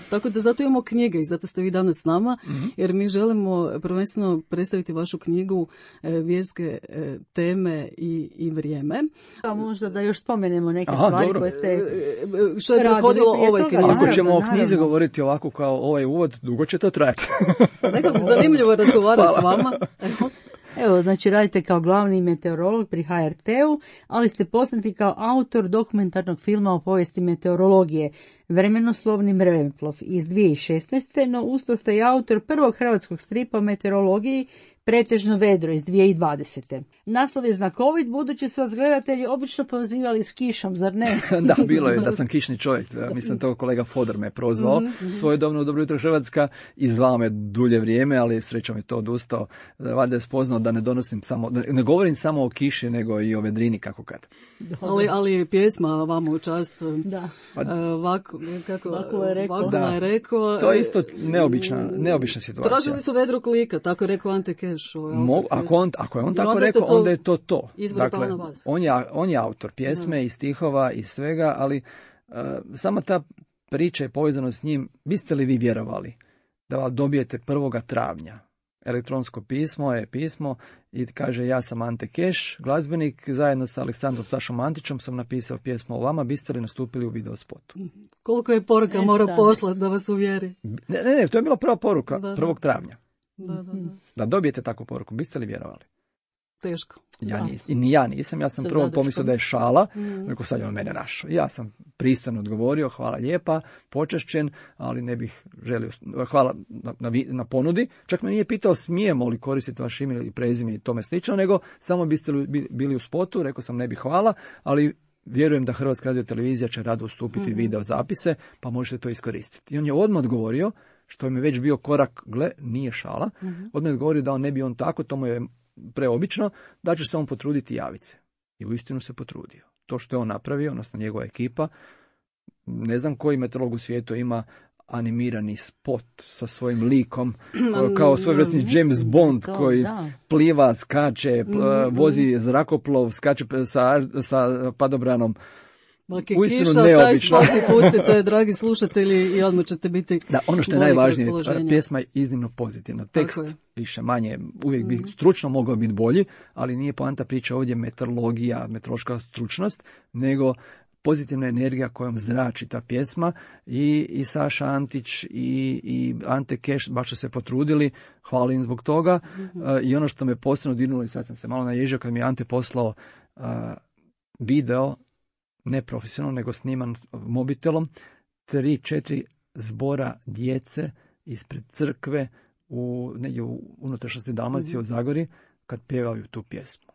tako da zato imamo knjige i zato ste vi danas s nama, jer mi želimo prvenstveno predstaviti vašu knjigu Vjerske teme i vrijeme. A možda da još spomenemo neke stvari koje ste što je prethodilo ovoj knjizi. Ako ćemo o knjizi govoriti ovako kao ovaj uvod, dugo će to trajati. Nekako zanimljivo razgovarati s vama. Evo, znači radite kao glavni meteorolog pri HRT-u, ali ste poznati kao autor dokumentarnog filma o povijesti meteorologije Vremenoslovni mreveplov iz 2016. No usto ste i autor prvog hrvatskog stripa o meteorologiji Pretežno vedro iz 2020. Naslov je znakovit, budući su vas gledatelji obično pozivali s kišom, zar ne? Da, bilo je da sam kišni čovjek. Mislim, to kolega Fodor me prozvao svojedobno u Dobro jutro Hrvatska i zvao me dulje vrijeme, ali srećom je to odustao. Valjda je spoznao da ne govorim samo o kiši, nego i o vedrini, kako kad. Ali je pjesma vama u čast. Da. Vakula je rekao. To je isto neobična situacija. Tražili su vedro klika, tako je rekao Ante Keš. Ako je on tako rekao, onda je to. Dakle, on je autor pjesme i stihova i svega, ali sama ta priča je povezana s njim. Biste li vi vjerovali da dobijete 1. travnja elektronsko pismo i kaže ja sam Ante Keš, glazbenik, zajedno sa Aleksandrom Sašom Antićem sam napisao pjesmu o vama, biste li nastupili u videospotu? Koliko je poruka mora poslati da vas uvjeri? Ne, to je bila prva poruka 1. travnja. Da dobijete takvu poruku, biste li vjerovali? Teško. Ja nisam, ja sam prvo pomislio da je šala, rekao sad je on mene našao. Ja sam pristojno odgovorio, hvala lijepa, počašćen, ali ne bih želio, hvala na ponudi. Čak me nije pitao smijemo li koristiti vaš ime ili prezime i tome slično, nego samo biste li bili u spotu, rekao sam ne bih hvala, ali vjerujem da Hrvatska radiotelevizija će rado ustupiti video zapise, pa možete to iskoristiti. I on je odmah odgovorio, što je mi već bio korak, nije šala, odmah je odgovorio da on ne bi on tako, to mu je preobično, da će se on potruditi javiti se. I uistinu se potrudio. To što je on napravio, odnosno njegova ekipa, ne znam koji meteorolog u svijetu ima animirani spot sa svojim likom, kao svojevrsni James Bond koji pliva, skače, vozi zrakoplov, skače sa padobranom. Uistinu neobično. Taj spot pustite, dragi slušatelji, i odmah ćete biti da, ono što je najvažnije, pjesma je iznimno pozitivna. Tekst više manje, uvijek bi stručno mogao biti bolji, ali nije poanta priče ovdje meteorologija, meteorološka stručnost, nego pozitivna energija kojom zrači ta pjesma i Saša Antić i Ante Keš baš su se potrudili, hvala im zbog toga. I ono što me posebno dirnulo, i sad sam se malo naježio kad mi je Ante poslao video, ne profesionalno, nego sniman mobitelom, 3-4 zbora djece ispred crkve negdje u unutrašnjosti Dalmacije u Zagori, kad pjevaju tu pjesmu.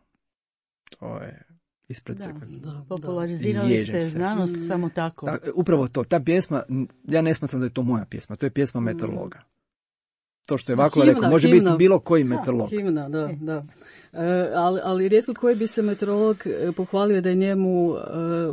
To je ispred crkve. Popularizirali ste znanost samo tako. Upravo to. Ta pjesma, ja ne smatram da je to moja pjesma, to je pjesma meteorologa. To što je Vakula rekao, može biti bilo koji meteorolog. Himna, da. Ali rijetko koji bi se meteorolog pohvalio da je njemu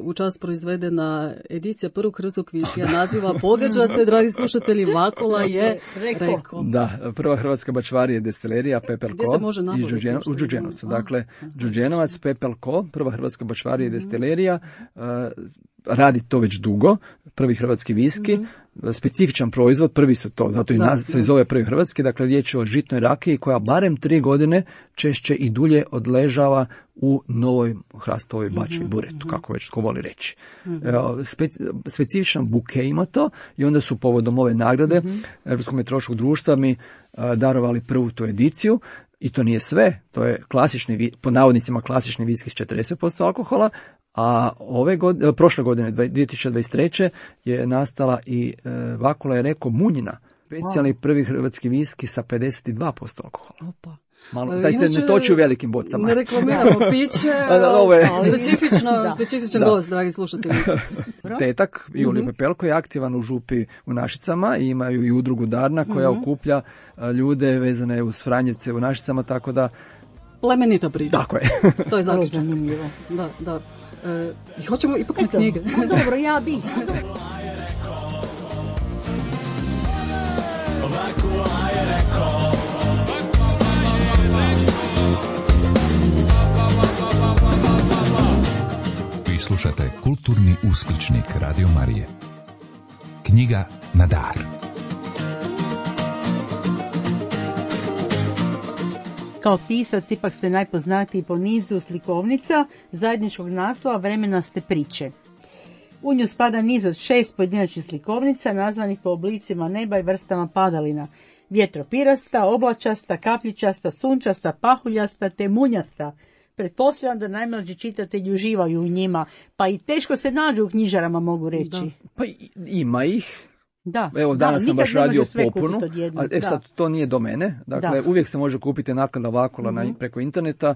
u čast proizvedena edicija prvog hrvatskog viskija naziva, pogađate, dragi slušatelji, Vakula je rekao. Da, prva hrvatska bačvarija destilerija Pepelko. Gdje se može nabaviti? U Đurđenovcu. Dakle, Đurđenovac, Pepelko, prva hrvatska bačvarija destilerija, radi to već dugo, prvi hrvatski viski, specifičan proizvod, prvi su to, zato i se zove prvi hrvatski, dakle riječ je o žitnoj rakiji koja barem 3 godine češće i dulje odležava u novoj hrastovoj bačvi, buretu, kako već tko voli reći. Specifičan buke ima to i onda su povodom ove nagrade Europskog meteorološkog društva mi darovali prvu tu ediciju. I to nije sve, to je klasični, po navodnicima klasični viski s 40% alkohola, a prošle godine, 2023. je nastala i Vakula je rekao Munjina, specijalni prvi hrvatski viski sa 52% alkohola. Opa. Malo, taj se ne toči u velikim bocama. Ne reklamiramo piće, specifičan gost, dragi slušatelji. Tetak, Julije Pepelko, je aktivan u župi u Našicama i imaju i udrugu Darna koja okuplja ljude vezane uz Franjevce u Našicama, tako da... Plemenita priča. Tako je. To je zaključak. Zanimljivo. Da. Hoćemo ipak na knjige. Dobro, ja bih. Vi slušate Kulturni uskličnik Radio Marije. Knjiga na dar. Kao pisac ipak ste najpoznatiji po nizu slikovnica zajedničkog naslova Vremenaste priče. U nju spada niz od 6 pojedinačnih slikovnica nazvanih po oblicima neba i vrstama padalina. Vjetropirasta, oblačasta, kapljičasta, sunčasta, pahuljasta te munjasta. Pretpostavljam da najmlađi čitatelji uživaju u njima, pa i teško se nađu u knjižarama, mogu reći. Da. Pa ima ih. Da, evo danas sam baš radio popunu, sad to nije do mene, dakle uvijek se može kupiti naklada Vakula preko interneta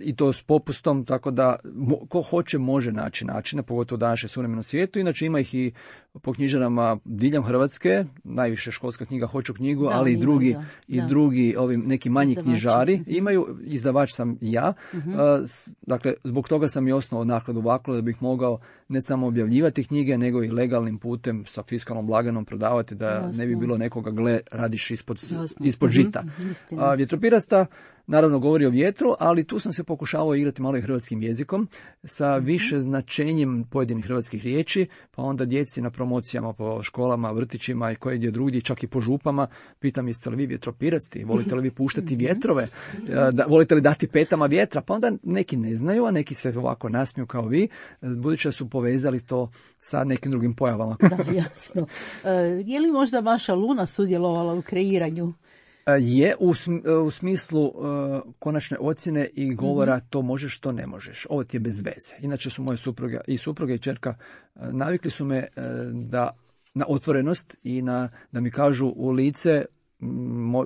i to s popustom, tako da ko hoće može naći načine, pogotovo u današnjem suvremenom svijetu, inače ima ih i po knjižarama diljem Hrvatske, najviše školska knjiga Hoću knjigu, ali i drugi ovi neki manji knjižari imaju, izdavač sam ja, dakle zbog toga sam i osnovao nakladu Vakula da bih mogao ne samo objavljivati knjige, nego i legalnim putem sa fiskalnom blaganom prodavati, da ne bi bilo nekoga radiš ispod žita. Vjetropirasta naravno govori o vjetru, ali tu sam se pokušavao igrati malo i hrvatskim jezikom sa više značenjem pojedinih hrvatskih riječi, pa onda djeci na promocijama po školama, vrtićima i koje gdje drugdje, čak i po župama, pitam jeste li vi vjetropirasti, volite li vi puštati vjetrove, volite li dati petama vjetra, pa onda neki ne znaju, a neki se ovako nasmiju kao vi, budući da su povezali to sa nekim drugim pojavama. Da, jasno. Je li možda vaša Luna sudjelovala u kreiranju? Je u smislu konačne ocjene i govora to možeš, to ne možeš. Ovo ti je bez veze. Inače su moje supruga i ćerka navikli su me na otvorenost i da mi kažu u lice,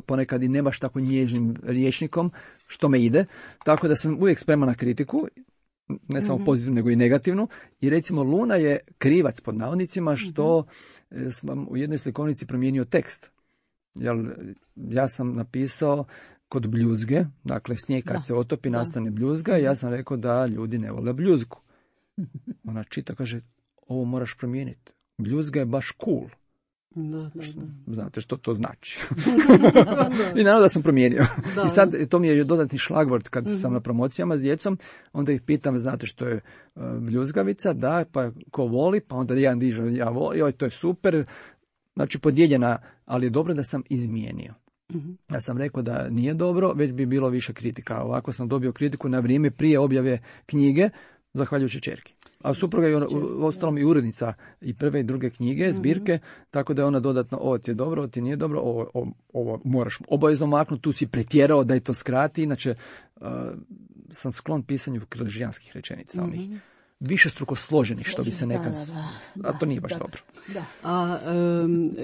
ponekad i ne baš tako nježnim rječnikom, što me ide. Tako da sam uvijek spreman na kritiku, ne samo pozitivnu nego i negativnu. I recimo Luna je krivac pod navodnicima što sam u jednoj slikovnici promijenio tekst. Ja sam napisao kod bljuzge, dakle snijeg kad se otopi nastane bljuzga i ja sam rekao da ljudi ne vole bljuzgu. Ona čita, kaže, ovo moraš promijeniti. Bljuzga je baš cool. Da. Znate što to znači. I naravno da sam promijenio. I sad to mi je dodatni šlagvort kad sam na promocijama s djecom, onda ih pitam, znate što je bljuzgavica, da, pa ko voli, pa onda jedan diže, ja volim, joj, to je super. Znači podijeljena, ali je dobro da sam izmijenio. Ja sam rekao da nije dobro, već bi bilo više kritika. Ovako sam dobio kritiku na vrijeme prije objave knjige, zahvaljujući čerki. A supruga je ostalom i urednica i prve i druge knjige, zbirke, tako da je ona dodatno, ovo ti je dobro, ovo ti nije dobro, ovo moraš obavezno maknuti, tu si pretjerao da je to skrati, inače sam sklon pisanju križijanskih rečenica, onih višestruko složenih, što bi se nekad... A to nije baš dobro. Da. A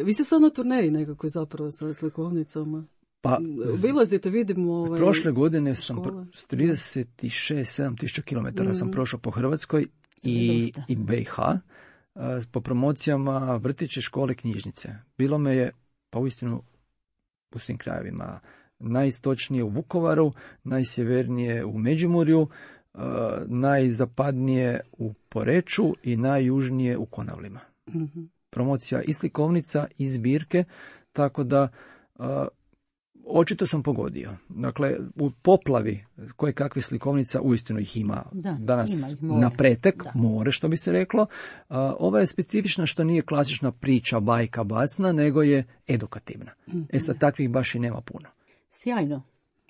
vi ste sad na turneji nekako zapravo sa slikovnicama? Pa, obilazite, vidimo... Prošle godine sam 36-7 tisuća kilometara sam prošao po Hrvatskoj i BiH, po promocijama vrtiće, škole, knjižnice. Bilo me je, pa uistinu, u svim krajevima. Najistočnije u Vukovaru, najsjevernije u Međimurju, najzapadnije u Poreču i najjužnije u Konavlima. Promocija i slikovnica i zbirke, tako da očito sam pogodio. Dakle, u poplavi koje kakve slikovnica, uistinu ih ima danas na pretek, more što bi se reklo. Ova je specifična što nije klasična priča, bajka, basna, nego je edukativna. Sad takvih baš i nema puno. Sjajno.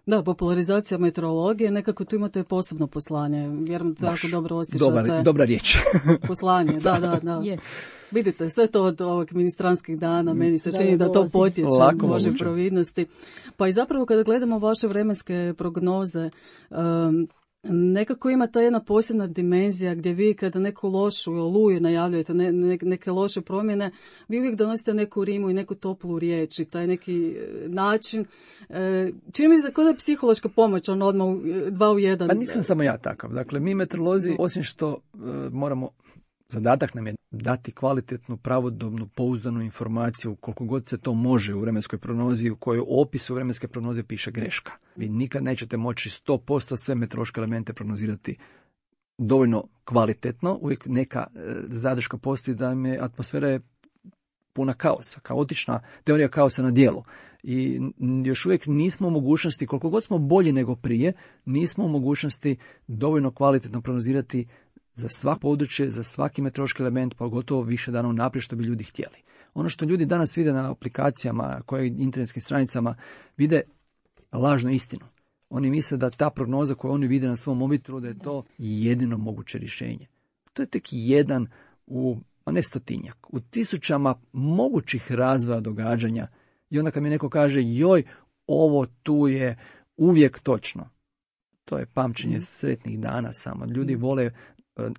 Da, popularizacija meteorologije, nekako tu imate posebno poslanje. Vjerujem da jako dobro osjećate. Dobra riječ. Poslanje, da. Vidite, sve to od ovog ministranskih dana, meni se čini da to potječe, može providnosti. Pa i zapravo kada gledamo vaše vremenske prognoze, nekako ima ta jedna posebna dimenzija gdje vi kada neku lošu oluju najavljujete, neke loše promjene, vi uvijek donosite neku rimu i neku toplu riječ i taj neki način. Čini mi se kao da je psihološka pomoć, odmah 2 u 1. Pa nisam samo ja takav. Dakle, mi meteorolozi, osim što moramo, zadatak nam je dati kvalitetnu, pravodobnu, pouzdanu informaciju koliko god se to može u vremenskoj prognozi u kojoj opisu vremenske prognoze piše greška. Vi nikad nećete moći 100% sve meteorološke elemente prognozirati dovoljno kvalitetno. Uvijek neka zadrška postoji da je atmosfera je puna kaosa, kaotična teorija kaosa na djelu. I još uvijek nismo u mogućnosti, koliko god smo bolji nego prije, nismo u mogućnosti dovoljno kvalitetno prognozirati za svako područje, za svaki meteorološki element, pogotovo više dana unaprijed što bi ljudi htjeli. Ono što ljudi danas vide na aplikacijama, koje internetskim stranicama, vide lažnu istinu. Oni misle da ta prognoza koju oni vide na svom mobitelu, da je to jedino moguće rješenje. To je tek jedan ne stotinjak, u tisućama mogućih razvoja događanja. I onda kad mi neko kaže, joj, ovo tu je uvijek točno. To je pamćenje sretnih dana samo. Ljudi vole,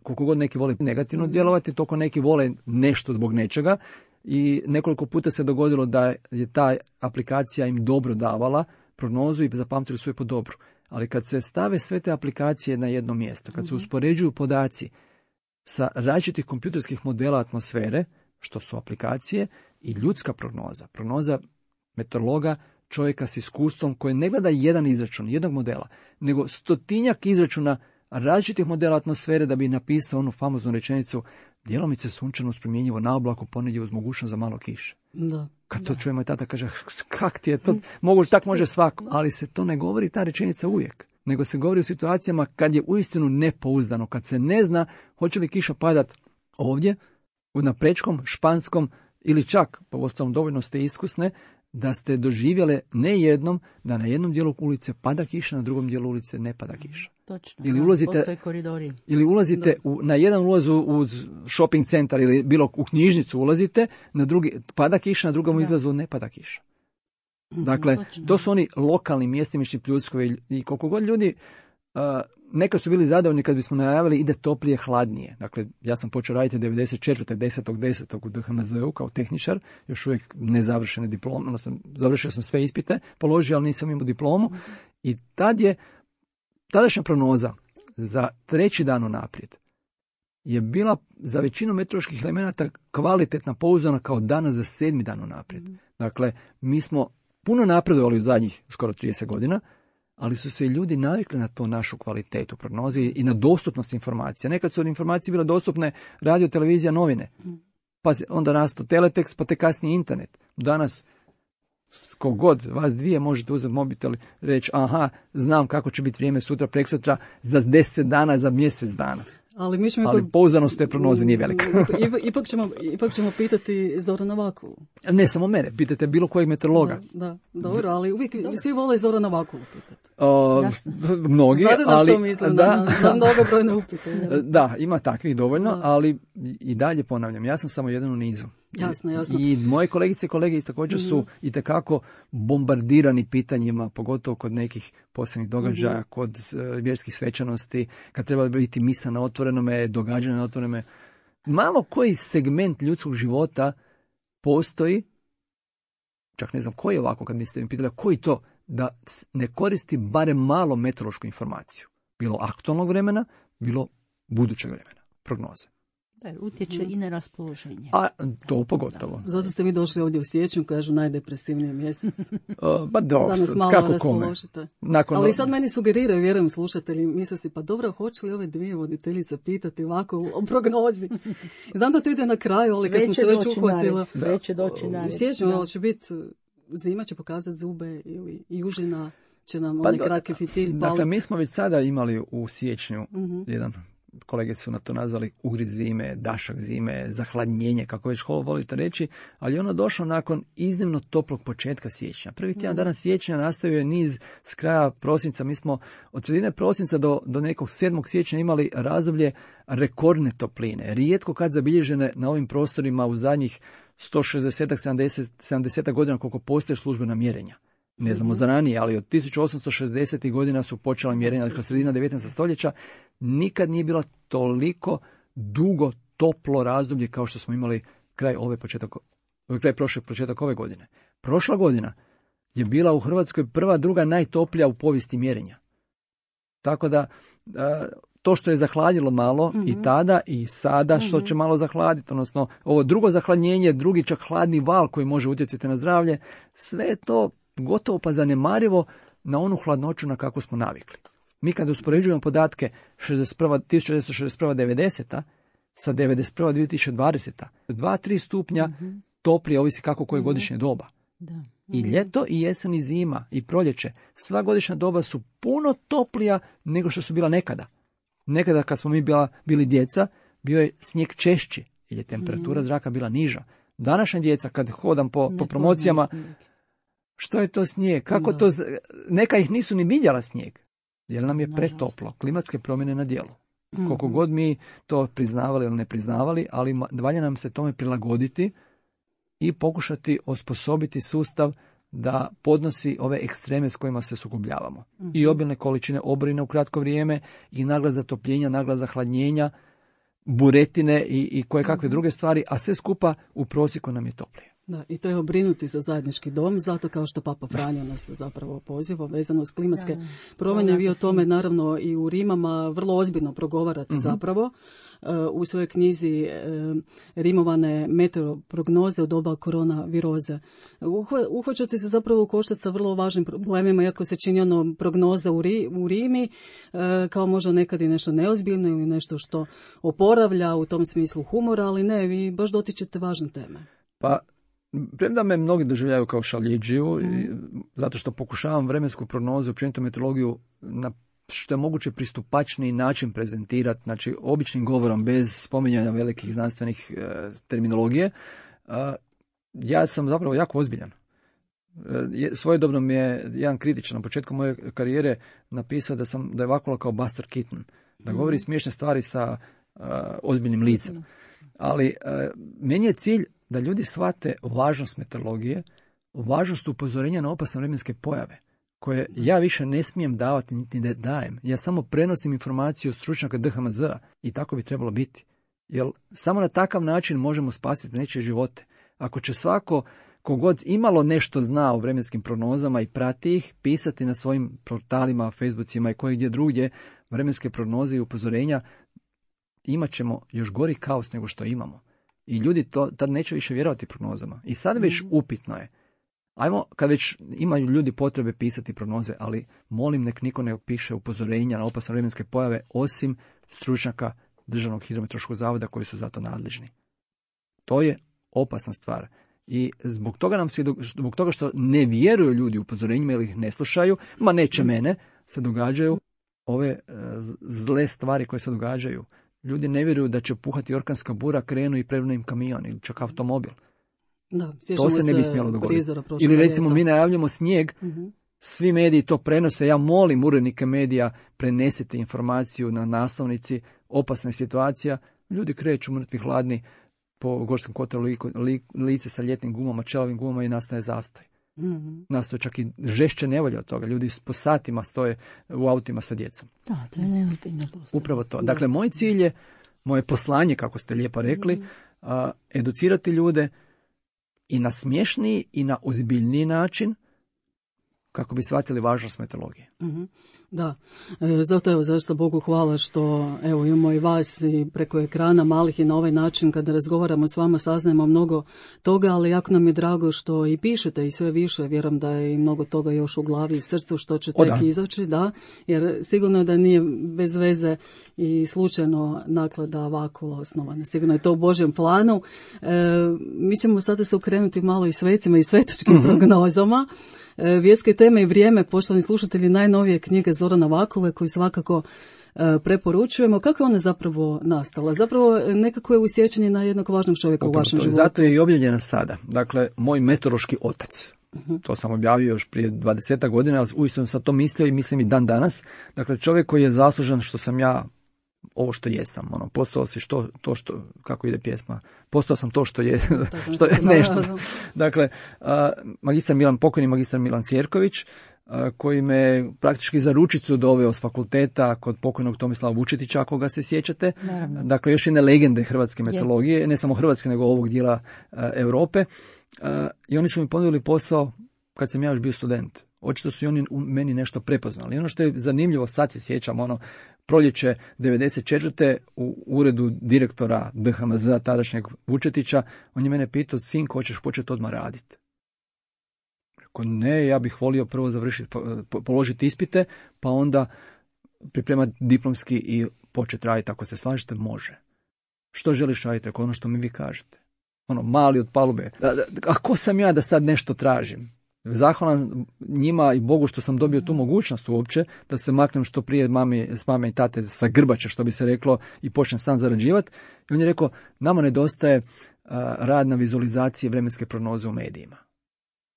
koliko god neki vole negativno djelovati, toliko neki vole nešto zbog nečega. I nekoliko puta se dogodilo da je ta aplikacija im dobro davala prognozu i zapamtili su je po dobru. Ali kad se stave sve te aplikacije na jedno mjesto, kad se uspoređuju podaci sa različitih kompjuterskih modela atmosfere, što su aplikacije, i ljudska prognoza meteorologa, čovjeka s iskustvom koji ne gleda jedan izračun, jednog modela, nego stotinjak izračuna različitih modela atmosfere da bi napisao onu famoznu rečenicu djelomice sunčano uz promjenjivo na oblaku ponedje uz mogućnost za malo kiše. Kad to čuje moj tata kaže, kak ti je to, tak može svako. Ali se to ne govori ta rečenica uvijek, nego se govori u situacijama kad je uistinu nepouzdano, kad se ne zna hoće li kiša padat ovdje, na Prečkom, Španskom ili čak, po ostalom dovoljno ste iskusne, da ste doživjele ne jednom da na jednom dijelu ulice pada kiša, na drugom dijelu ulice ne pada kiša. Točno, ili ulazite na jedan ulaz u shopping centar ili bilo u knjižnicu ulazite, na drugi pada kiša, na drugom izlazu ne pada kiša. Dakle, to su oni lokalni mjestimični pljuskovi i koliko god ljudi nekad su bili zadovoljni kad bismo najavili ide toplije, hladnije. Dakle, ja sam počeo raditi 94. 10.10. u DHMZ-u kao tehničar, još uvijek nezavršene diplome, završio sam sve ispite, položio, ali nisam imao diplomu. I tadašnja prognoza za 3. dan unaprijed je bila za većinu meteoroloških elemenata kvalitetna, pouzdana kao danas za 7. dan unaprijed. Dakle, mi smo puno napredovali u zadnjih skoro 30 godina, ali su se ljudi navikli na to našu kvalitetu prognoze i na dostupnost informacija. Nekad su od informacije bile dostupne radio, televizija, novine. pa onda nastao teletekst, pa te kasnije internet. Danas, kogod vas dvije možete uzeti mobitel i reći, aha, znam kako će biti vrijeme sutra, preksutra, za 10 dana, za mjesec dana. Ali pouzdanost te prognoze nije velika. ipak ćemo pitati Zorana Vakulu. Ne samo mene, pitajte bilo kojeg meteorologa. Da, dobro, ali uvijek svi vole Zorana Vakulu pitati. Mnogi, znate ali... što mislim, na mnogobrojne upite. Da, ima takvih dovoljno, ali i dalje ponavljam, ja sam samo jedan u nizu. Jasno. I moje kolegice i kolege također su itekako bombardirani pitanjima, pogotovo kod nekih posebnih događaja, kod vjerskih svečanosti, kad treba biti misa na otvorenome, događanja na otvorenome. Malo koji segment ljudskog života postoji, čak ne znam koji je ovako, kad mi ste mi pitali, koji to, da ne koristi barem malo meteorološku informaciju. Bilo aktualnog vremena, bilo budućeg vremena, prognoze. Da, utječe i na raspoloženje. A to pogotovo. Da. Zato ste vi došli ovdje u siječnju, kažu najdepresivniji mjesec. Pa dobro, kako kome. Ali sad meni sugeriraju, vjerujem slušatelji, misle si, pa dobro, hoće li ove dvije voditeljice pitati ovako o prognozi? Znam da to ide na kraju, ali kad smo se već uhvatili. Već doći na red. U siječnju će biti, zima će pokazati zube ili južina će nam onaj kratki fitilj paliti. Dakle, mi smo već sada imali u siječnju jedan... Kolege su na to nazvali ugriz zime, dašak zime, zahladnjenje, kako već volite reći, ali ono došlo nakon iznimno toplog početka siječnja. Prvi tjedan dana siječnja nastavio je niz s kraja prosinca. Mi smo od sredine prosinca do nekog 7. siječnja imali razdoblje rekordne topline. Rijetko kad zabilježene na ovim prostorima u zadnjih 160-70 godina koliko postoje službena mjerenja. Ne znamo za ranije, ali od 1860. godina su počela mjerenja, dakle sredina 19. stoljeća, nikad nije bilo toliko dugo toplo razdoblje kao što smo imali kraj početak ove godine. Prošla godina je bila u Hrvatskoj prva, druga najtoplija u povijesti mjerenja. Tako da to što je zahladilo malo i tada i sada što će malo zahladiti, odnosno ovo drugo zahladnjenje, drugi čak hladni val koji može utjecati na zdravlje, sve je to gotovo pa zanemarivo na onu hladnoću na kako smo navikli. Mi kad uspoređujemo podatke 1961-90 sa 91-2020, 2-3 stupnja toplije, ovisi kako koje godišnje doba. Da. I ljeto, i jesen, i zima, i proljeće, sva godišnja doba su puno toplija nego što su bila nekada. Nekada kad smo mi bili djeca, bio je snijeg češći, jer je temperatura zraka bila niža. Današnja djeca, kad hodam po promocijama, što je to snijeg? Kako to? Neka ih nisu ni vidjela snijeg, jer nam je pretoplo. Klimatske promjene na djelu. Koliko god mi to priznavali ili ne priznavali, ali valja nam se tome prilagoditi i pokušati osposobiti sustav da podnosi ove ekstreme s kojima se sukobljavamo. I obilne količine oborina u kratko vrijeme, i nagla zatopljenja, nagla zahladnjenja, buretine i koje kakve druge stvari, a sve skupa u prosjeku nam je toplije. Da, i treba brinuti za zajednički dom, zato kao što Papa Franjo nas zapravo poziva vezano s klimatske promjene. Vi o tome naravno i u Rimama vrlo ozbiljno progovarate zapravo u svojoj knjizi Rimovane meteoroprognoze u doba koronaviroze. Uhvaćate se zapravo u koštac sa vrlo važnim problemima, iako se čini ono prognoza u Rimi kao možda nekad i nešto neozbiljno ili nešto što oporavlja u tom smislu humora, ali ne, vi baš dotičete važne teme. Pa, premda me mnogi doživljaju kao šaljiđiju, zato što pokušavam vremensku prognozu, općenito meteorologiju, na što je moguće pristupačniji način prezentirati, znači običnim govorom, bez spominjanja velikih znanstvenih terminologije, ja sam zapravo jako ozbiljan. Svojedobno mi je jedan kritičan na početku moje karijere napisao da je Vakula kao Buster Keaton, da govori smiješne stvari sa ozbiljnim licem. Ali meni je cilj da ljudi shvate važnost meteorologije, važnost upozorenja na opasne vremenske pojave, koje ja više ne smijem davati niti ne dajem. Ja samo prenosim informaciju stručnjaka DHMZ-a i tako bi trebalo biti. Jer samo na takav način možemo spasiti nečije živote. Ako će svako kogod imalo nešto zna o vremenskim prognozama i prati ih, pisati na svojim portalima, Facebookima i koje gdje drugdje vremenske prognoze i upozorenja, imat ćemo još gori kaos nego što imamo. I ljudi tad neće više vjerovati prognozama. I sad već upitno je. Ajmo, kad već imaju ljudi potrebe pisati prognoze, ali molim nek niko ne piše upozorenja na opasne vremenske pojave, osim stručnjaka Državnog hidrometeorološkog zavoda koji su za to nadležni. To je opasna stvar. I zbog toga što ne vjeruju ljudi upozorenjima ili ih ne slušaju, ma neće mene, se događaju ove zle stvari koje se događaju. Ljudi ne vjeruju da će puhati orkanska bura, krenu i prevrnu im kamion ili čak automobil. Da, to se ne bi smjelo dogoditi. Ili recimo mi najavljamo snijeg, svi mediji to prenose, ja molim urednike medija, prenesite informaciju na naslovnici, opasna situacija, ljudi kreću mrtvi hladni po Gorskom kotaru lice sa ljetnim gumama, čelavim gumama i nastaje zastoj. Nastaje čak i žešće nevolje od toga. Ljudi po satima stoje u autima sa djecom. Da, to je neozbiljno. Upravo to. Dakle, moj cilj je, moje poslanje, kako ste lijepo rekli, educirati ljude i na smješniji i na ozbiljniji način kako bi shvatili važnost meteorologije. Da, zato evo zašto Bogu hvala što evo imamo i vas i preko ekrana malih i na ovaj način kada razgovaramo s vama saznajemo mnogo toga, ali jako nam je drago što i pišete i sve više, vjerujem da je i mnogo toga još u glavi i srcu što će tek izaći, da, jer sigurno da nije bez veze i slučajno naklada Vakula osnovana, sigurno je to u Božjem planu. Mi ćemo sada se okrenuti malo i svecima i svetačkim prognozama. Vjerske teme i vrijeme, poštovani slušatelji, najnovije knjige Zorana Vakule koju svakako preporučujemo. Kako je ona zapravo nastala? Zapravo nekako je usjećanje na jednog važnog čovjeka u vašem životu. Zato je i objavljena sada. Dakle, moj meteorološki otac. To sam objavio još prije 20 godina, ali uistinu sam to mislio i mislim i dan danas. Dakle, čovjek koji je zaslužan što sam ja ovo što jesam, postao si kako ide pjesma, postao sam to što je, što je nešto. Dakle, pokojni magistar Milan Sjerković, koji me praktički za ručicu doveo s fakulteta kod pokojnog Tomislava Vučetića, ako ga se sjećate. Dakle, još jedne legende hrvatske meteorologije, ne samo hrvatske, nego ovog dijela Europe. I oni su mi ponudili posao kad sam ja još bio student. Očito su i oni u meni nešto prepoznali. I ono što je zanimljivo, sad se sjećam, proljeće 94. u uredu direktora DHMZ-a tadašnjeg Vučetića, on je mene pitao, sinko, hoćeš početi odmah raditi? Rekao, ne, ja bih volio prvo završiti, položiti ispite, pa onda pripremati diplomski i početi raditi. Ako se slažete, može. Što želiš raditi? Rekao, ono što mi vi kažete. Mali od palube. A ko sam ja da sad nešto tražim? Zahvalan njima i Bogu što sam dobio tu mogućnost uopće da se maknem što prije s mame i tate sa grbače, što bi se reklo, i počnem sam zarađivati. I on je rekao, nama nedostaje rad na vizualizaciji vremenske prognoze u medijima.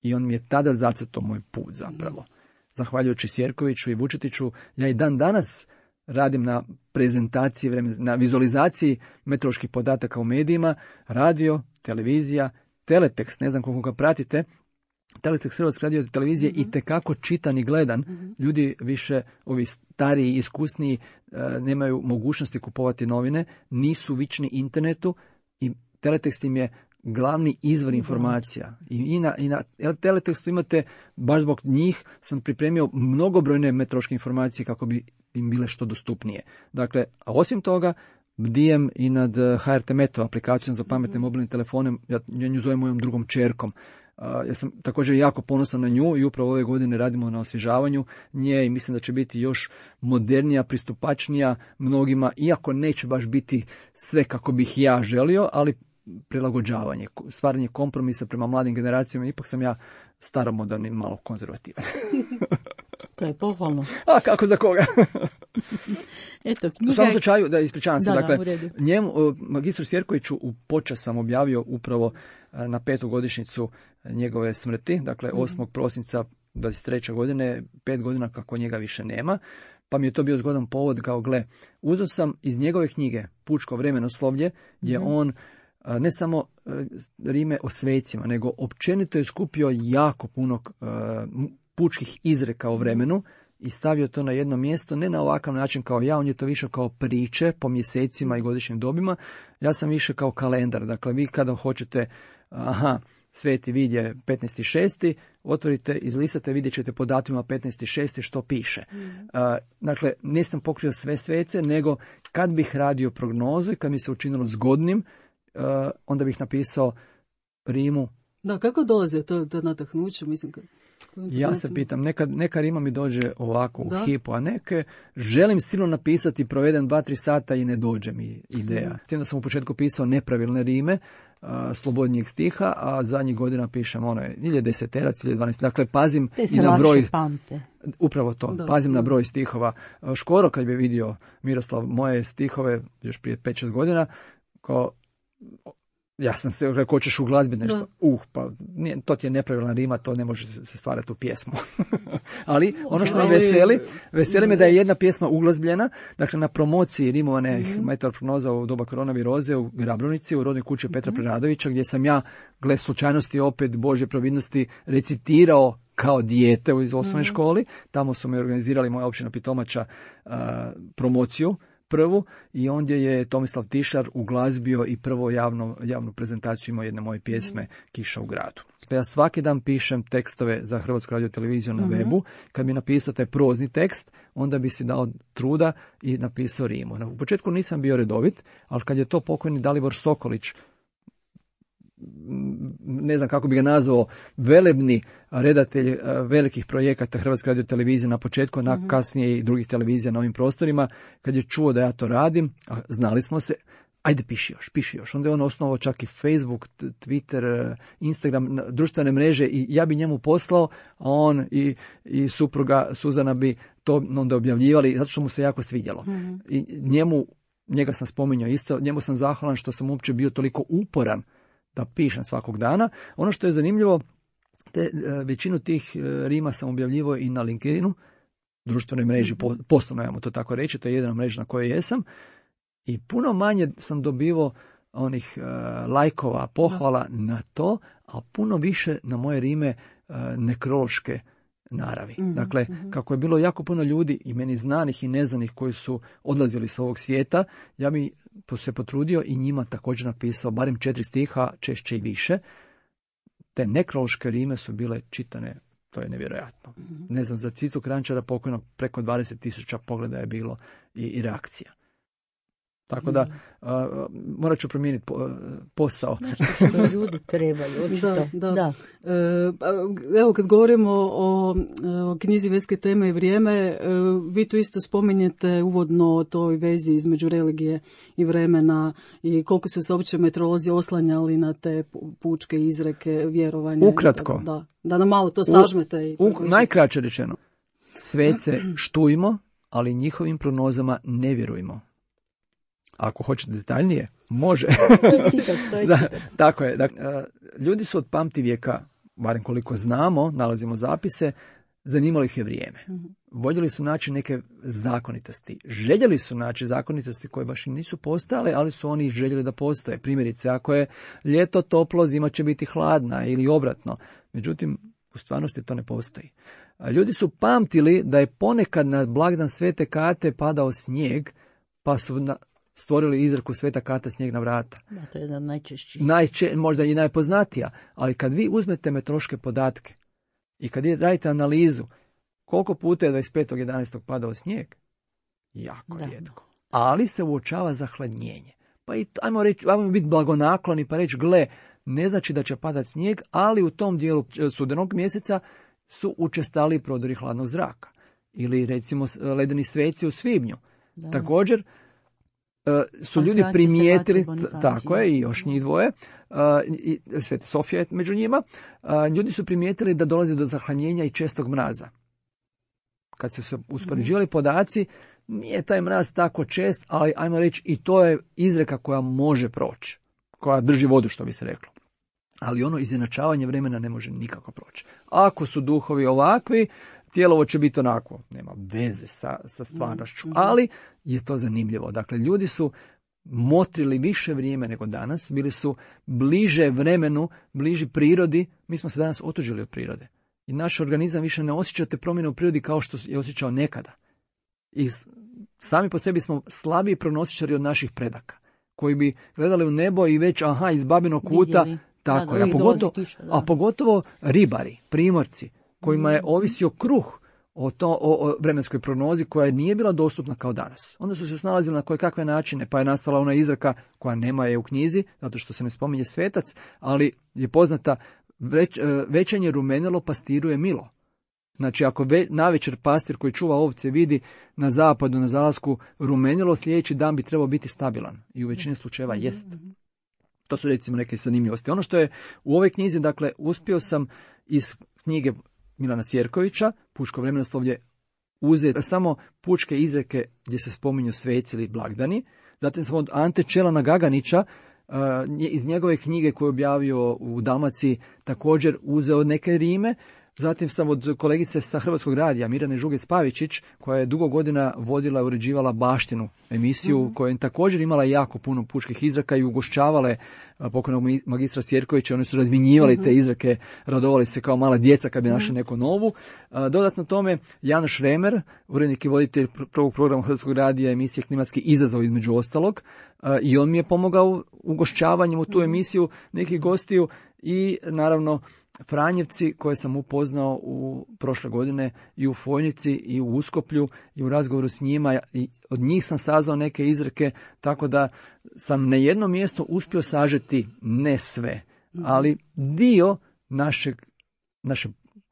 I on mi je tada zacrtao moj put zapravo. Zahvaljujući Sjerkoviću i Vučetiću, ja i dan danas radim na prezentaciji, na vizualizaciji meteoroloških podataka u medijima, radio, televizija, teletekst, ne znam koliko ga pratite. Teletekst Hrvatske radio televizije i tekako čitan i gledan. Ljudi više, ovi stariji i iskusniji, nemaju mogućnosti kupovati novine, nisu vični internetu i teletekst im je glavni izvor informacija. I na teletekstu imate, baš zbog njih sam pripremio mnogobrojne meteorološke informacije kako bi im bile što dostupnije. Dakle, a osim toga, bdijem i nad HRT Meteo aplikacijom za pametne mobilne telefone, ja nju zovem mojom drugom čerkom. Ja sam također jako ponosan na nju i upravo ove godine radimo na osvježavanju nje i mislim da će biti još modernija, pristupačnija mnogima, iako neće baš biti sve kako bih ja želio, ali prilagođavanje, stvaranje kompromisa prema mladim generacijama, ipak sam ja staromoderni, malo konzervativan. To je pohvalno. A kako za koga? Eto, knjiga... U svakom slučaju, da ispričavam se, dakle, njemu, magistru Sjerkoviću u počast sam objavio upravo na 5. godišnjicu njegove smrti, dakle 8. prosinca 23. godine, 5 godina kako njega više nema, pa mi je to bio zgodan povod, kao gle, uzeo sam iz njegove knjige Pučko vremenoslovlje, gdje on ne samo rime o svecima, nego općenito je skupio jako puno pučkih izreka o vremenu i stavio to na jedno mjesto, ne na ovakav način kao ja, on je to više kao priče po mjesecima i godišnjim dobima, ja sam više kao kalendar, dakle vi kada hoćete, Sveti vid je 15.6., otvorite, izlistate, vidjet ćete po datumima 15.6. što piše. Dakle, nisam pokrio sve svece, nego kad bih radio prognozu i kad mi se učinilo zgodnim, onda bih napisao rimu Da, kako dolazi to natahnuće, mislim? Ja se pitam, neka rima mi dođe ovako u hipu, a neke želim silno napisati, provedem 2-3 sata i ne dođe mi ideja. S tim da sam u početku pisao nepravilne rime, slobodnijeg stiha, a zadnjih godina pišem ili je 10 ili 12. Dakle, pazim i na broj. Pamte. Upravo to, pazim na broj stihova. Škoro kad bi vidio Miroslav moje stihove još prije 5-6 godina, kao ja sam se rekao, hoćeš u glazbi nešto. Pa to ti je nepravilna rima, to ne može se stvarati u pjesmu. Ali ono što me veseli me da je jedna pjesma uglazbljena, dakle na promociji rimovane meteorprognoza u doba koronaviroze u Grabrunici, u rodnoj kući Petra Preradovića, gdje sam ja, gle slučajnosti opet Božje providnosti, recitirao kao dijete u osnovnoj školi. Tamo su mi organizirali moja općina Pitomača promociju prvu i ondje je Tomislav Tišar uglazbio i prvo javnu prezentaciju imao jedne moje pjesme Kiša u gradu. Ja svaki dan pišem tekstove za Hrvatsku radioteleviziju na webu. Kad bi napisao taj prozni tekst, onda bi si dao truda i napisao rimu. U početku nisam bio redovit, ali kad je to pokojni Dalibor Sokolić, ne znam kako bi ga nazvao, velebni redatelj velikih projekata Hrvatske radiotelevizije na početku, na kasnije i drugih televizija na ovim prostorima, kad je čuo da ja to radim, a znali smo se, ajde piši još. Onda je on osnovao čak i Facebook, Twitter, Instagram, društvene mreže i ja bi njemu poslao, a on i supruga Suzana bi to onda objavljivali, zato što mu se jako svidjelo. I njega sam spominjao isto, njemu sam zahvalan što sam uopće bio toliko uporan da pišem svakog dana. Ono što je zanimljivo, većinu tih rima sam objavljivao i na LinkedInu, društvenoj mreži, poslovno ajmo to tako reći, to je jedina mreža na kojoj jesam, i puno manje sam dobivao onih lajkova, pohvala na to, a puno više na moje rime nekrološke naravi. Dakle, kako je bilo jako puno ljudi i meni znanih i neznanih koji su odlazili s ovog svijeta, ja bi se potrudio i njima također napisao barem 4 stiha, češće i više. Te nekrološke rime su bile čitane, to je nevjerojatno. Ne znam, za Cicu Kranjčara pokojnog preko 20.000 pogleda je bilo i reakcija. Tako da morat ću promijeniti posao. Što ljudi trebaju. Da. Evo kad govorimo o knjizi Vjerske teme i vrijeme, vi tu isto spominjete uvodno o toj vezi između religije i vremena i koliko su se uopće meteorolozi oslanjali na te pučke izreke, vjerovanja. Ukratko. Da nam malo to sažmete. Najkraće rečeno, svece štujmo, ali njihovim prognozama ne vjerujmo. Ako hoćete detaljnije, može. To je citat. Tako je. Dakle, ljudi su od pamtivijeka, barem koliko znamo, nalazimo zapise, zanimalo ih je vrijeme. Voljeli su naći neke zakonitosti. Željeli su naći zakonitosti koje baš i nisu postojale, ali su oni željeli da postoje. Primjerice, ako je ljeto toplo, zima će biti hladna ili obratno. Međutim, u stvarnosti to ne postoji. Ljudi su pamtili da je ponekad na blagdan Svete Kate padao snijeg, pa su stvorili izreku Sveta Kata, snijeg na vrata. Da, to je jedan najčešći. Možda i najpoznatija, ali kad vi uzmete meteorološke podatke i kad radite analizu, koliko puta je 25.11. padao snijeg? Jako rijetko. Ali se uočava zahladnjenje. Pa i ajmo biti blagonakloni pa reći, gle, ne znači da će padati snijeg, ali u tom dijelu studenog mjeseca su učestali prodori hladnog zraka. Ili recimo ledeni sveci u svibnju. Da. Također su ljudi primijetili, tako je, i još njih dvoje, i Sveta Sofija je među njima, ljudi su primijetili da dolazi do zahladnjenja i čestog mraza. Kad su se uspoređivali podaci, nije taj mraz tako čest, ali ajmo reći i to je izreka koja može proći, koja drži vodu, što bi se reklo. Ali ono izjednačavanje vremena ne može nikako proći. Ako su duhovi ovakvi, tijelovo će biti onako, nema veze sa stvarnošću, ali je to zanimljivo. Dakle, ljudi su motrili više vrijeme nego danas, bili su bliže vremenu, bliži prirodi, mi smo se danas otuđili od prirode. I naš organizam više ne osjeća te promjene u prirodi kao što je osjećao nekada. I sami po sebi smo slabiji prognostičari od naših predaka, koji bi gledali u nebo i već, iz babinog kuta, vidjeli. Tako je, a pogotovo ribari, primorci, kojima je ovisio kruh o vremenskoj prognozi koja nije bila dostupna kao danas. Onda su se snalazili na kojekakve načine, pa je nastala ona izreka koja nema je u knjizi, zato što se ne spominje svetac, ali je poznata Večanje rumenilo, pastiru je milo. Znači, ako navečer pastir koji čuva ovce vidi na zapadu, na zalasku rumenilo, sljedeći dan bi trebao biti stabilan. I u većini slučajeva jest. To su recimo neke zanimljivosti. Ono što je u ovoj knjizi, dakle, uspio sam iz knjige Milana Sjerkovića, Pučko vremenoslovlje, uzeti samo pučke izreke gdje se spominju sveci ili blagdani. Zatim sam od Ante Čelana Gaganića, iz njegove knjige koju je objavio u Dalmaciji, također uzeo neke rime. Zatim sam od kolegice sa Hrvatskog radija, Mirjane Žugec-Pavičić, koja je dugo godina vodila i uređivala Baštinu emisiju, koja je također imala jako puno pučkih izreka i ugošćavale pokojnog magistra Sjerkovića. Oni su razmjenjivali te izreke, radovali se kao mala djeca kad bi našli neku novu. Dodatno tome, Janoš Remer, urednik i voditelj prvog programa Hrvatskog radija, emisije Klimatski izazov između ostalog, i on mi je pomogao ugošćavanjem u tu emisiju nekih gostiju i naravno Franjevci koje sam upoznao u prošle godine i u Fojnici i u Uskoplju i u razgovoru s njima, i od njih sam saznao neke izreke, tako da sam na jednom mjestu uspio sažeti ne sve, ali dio naše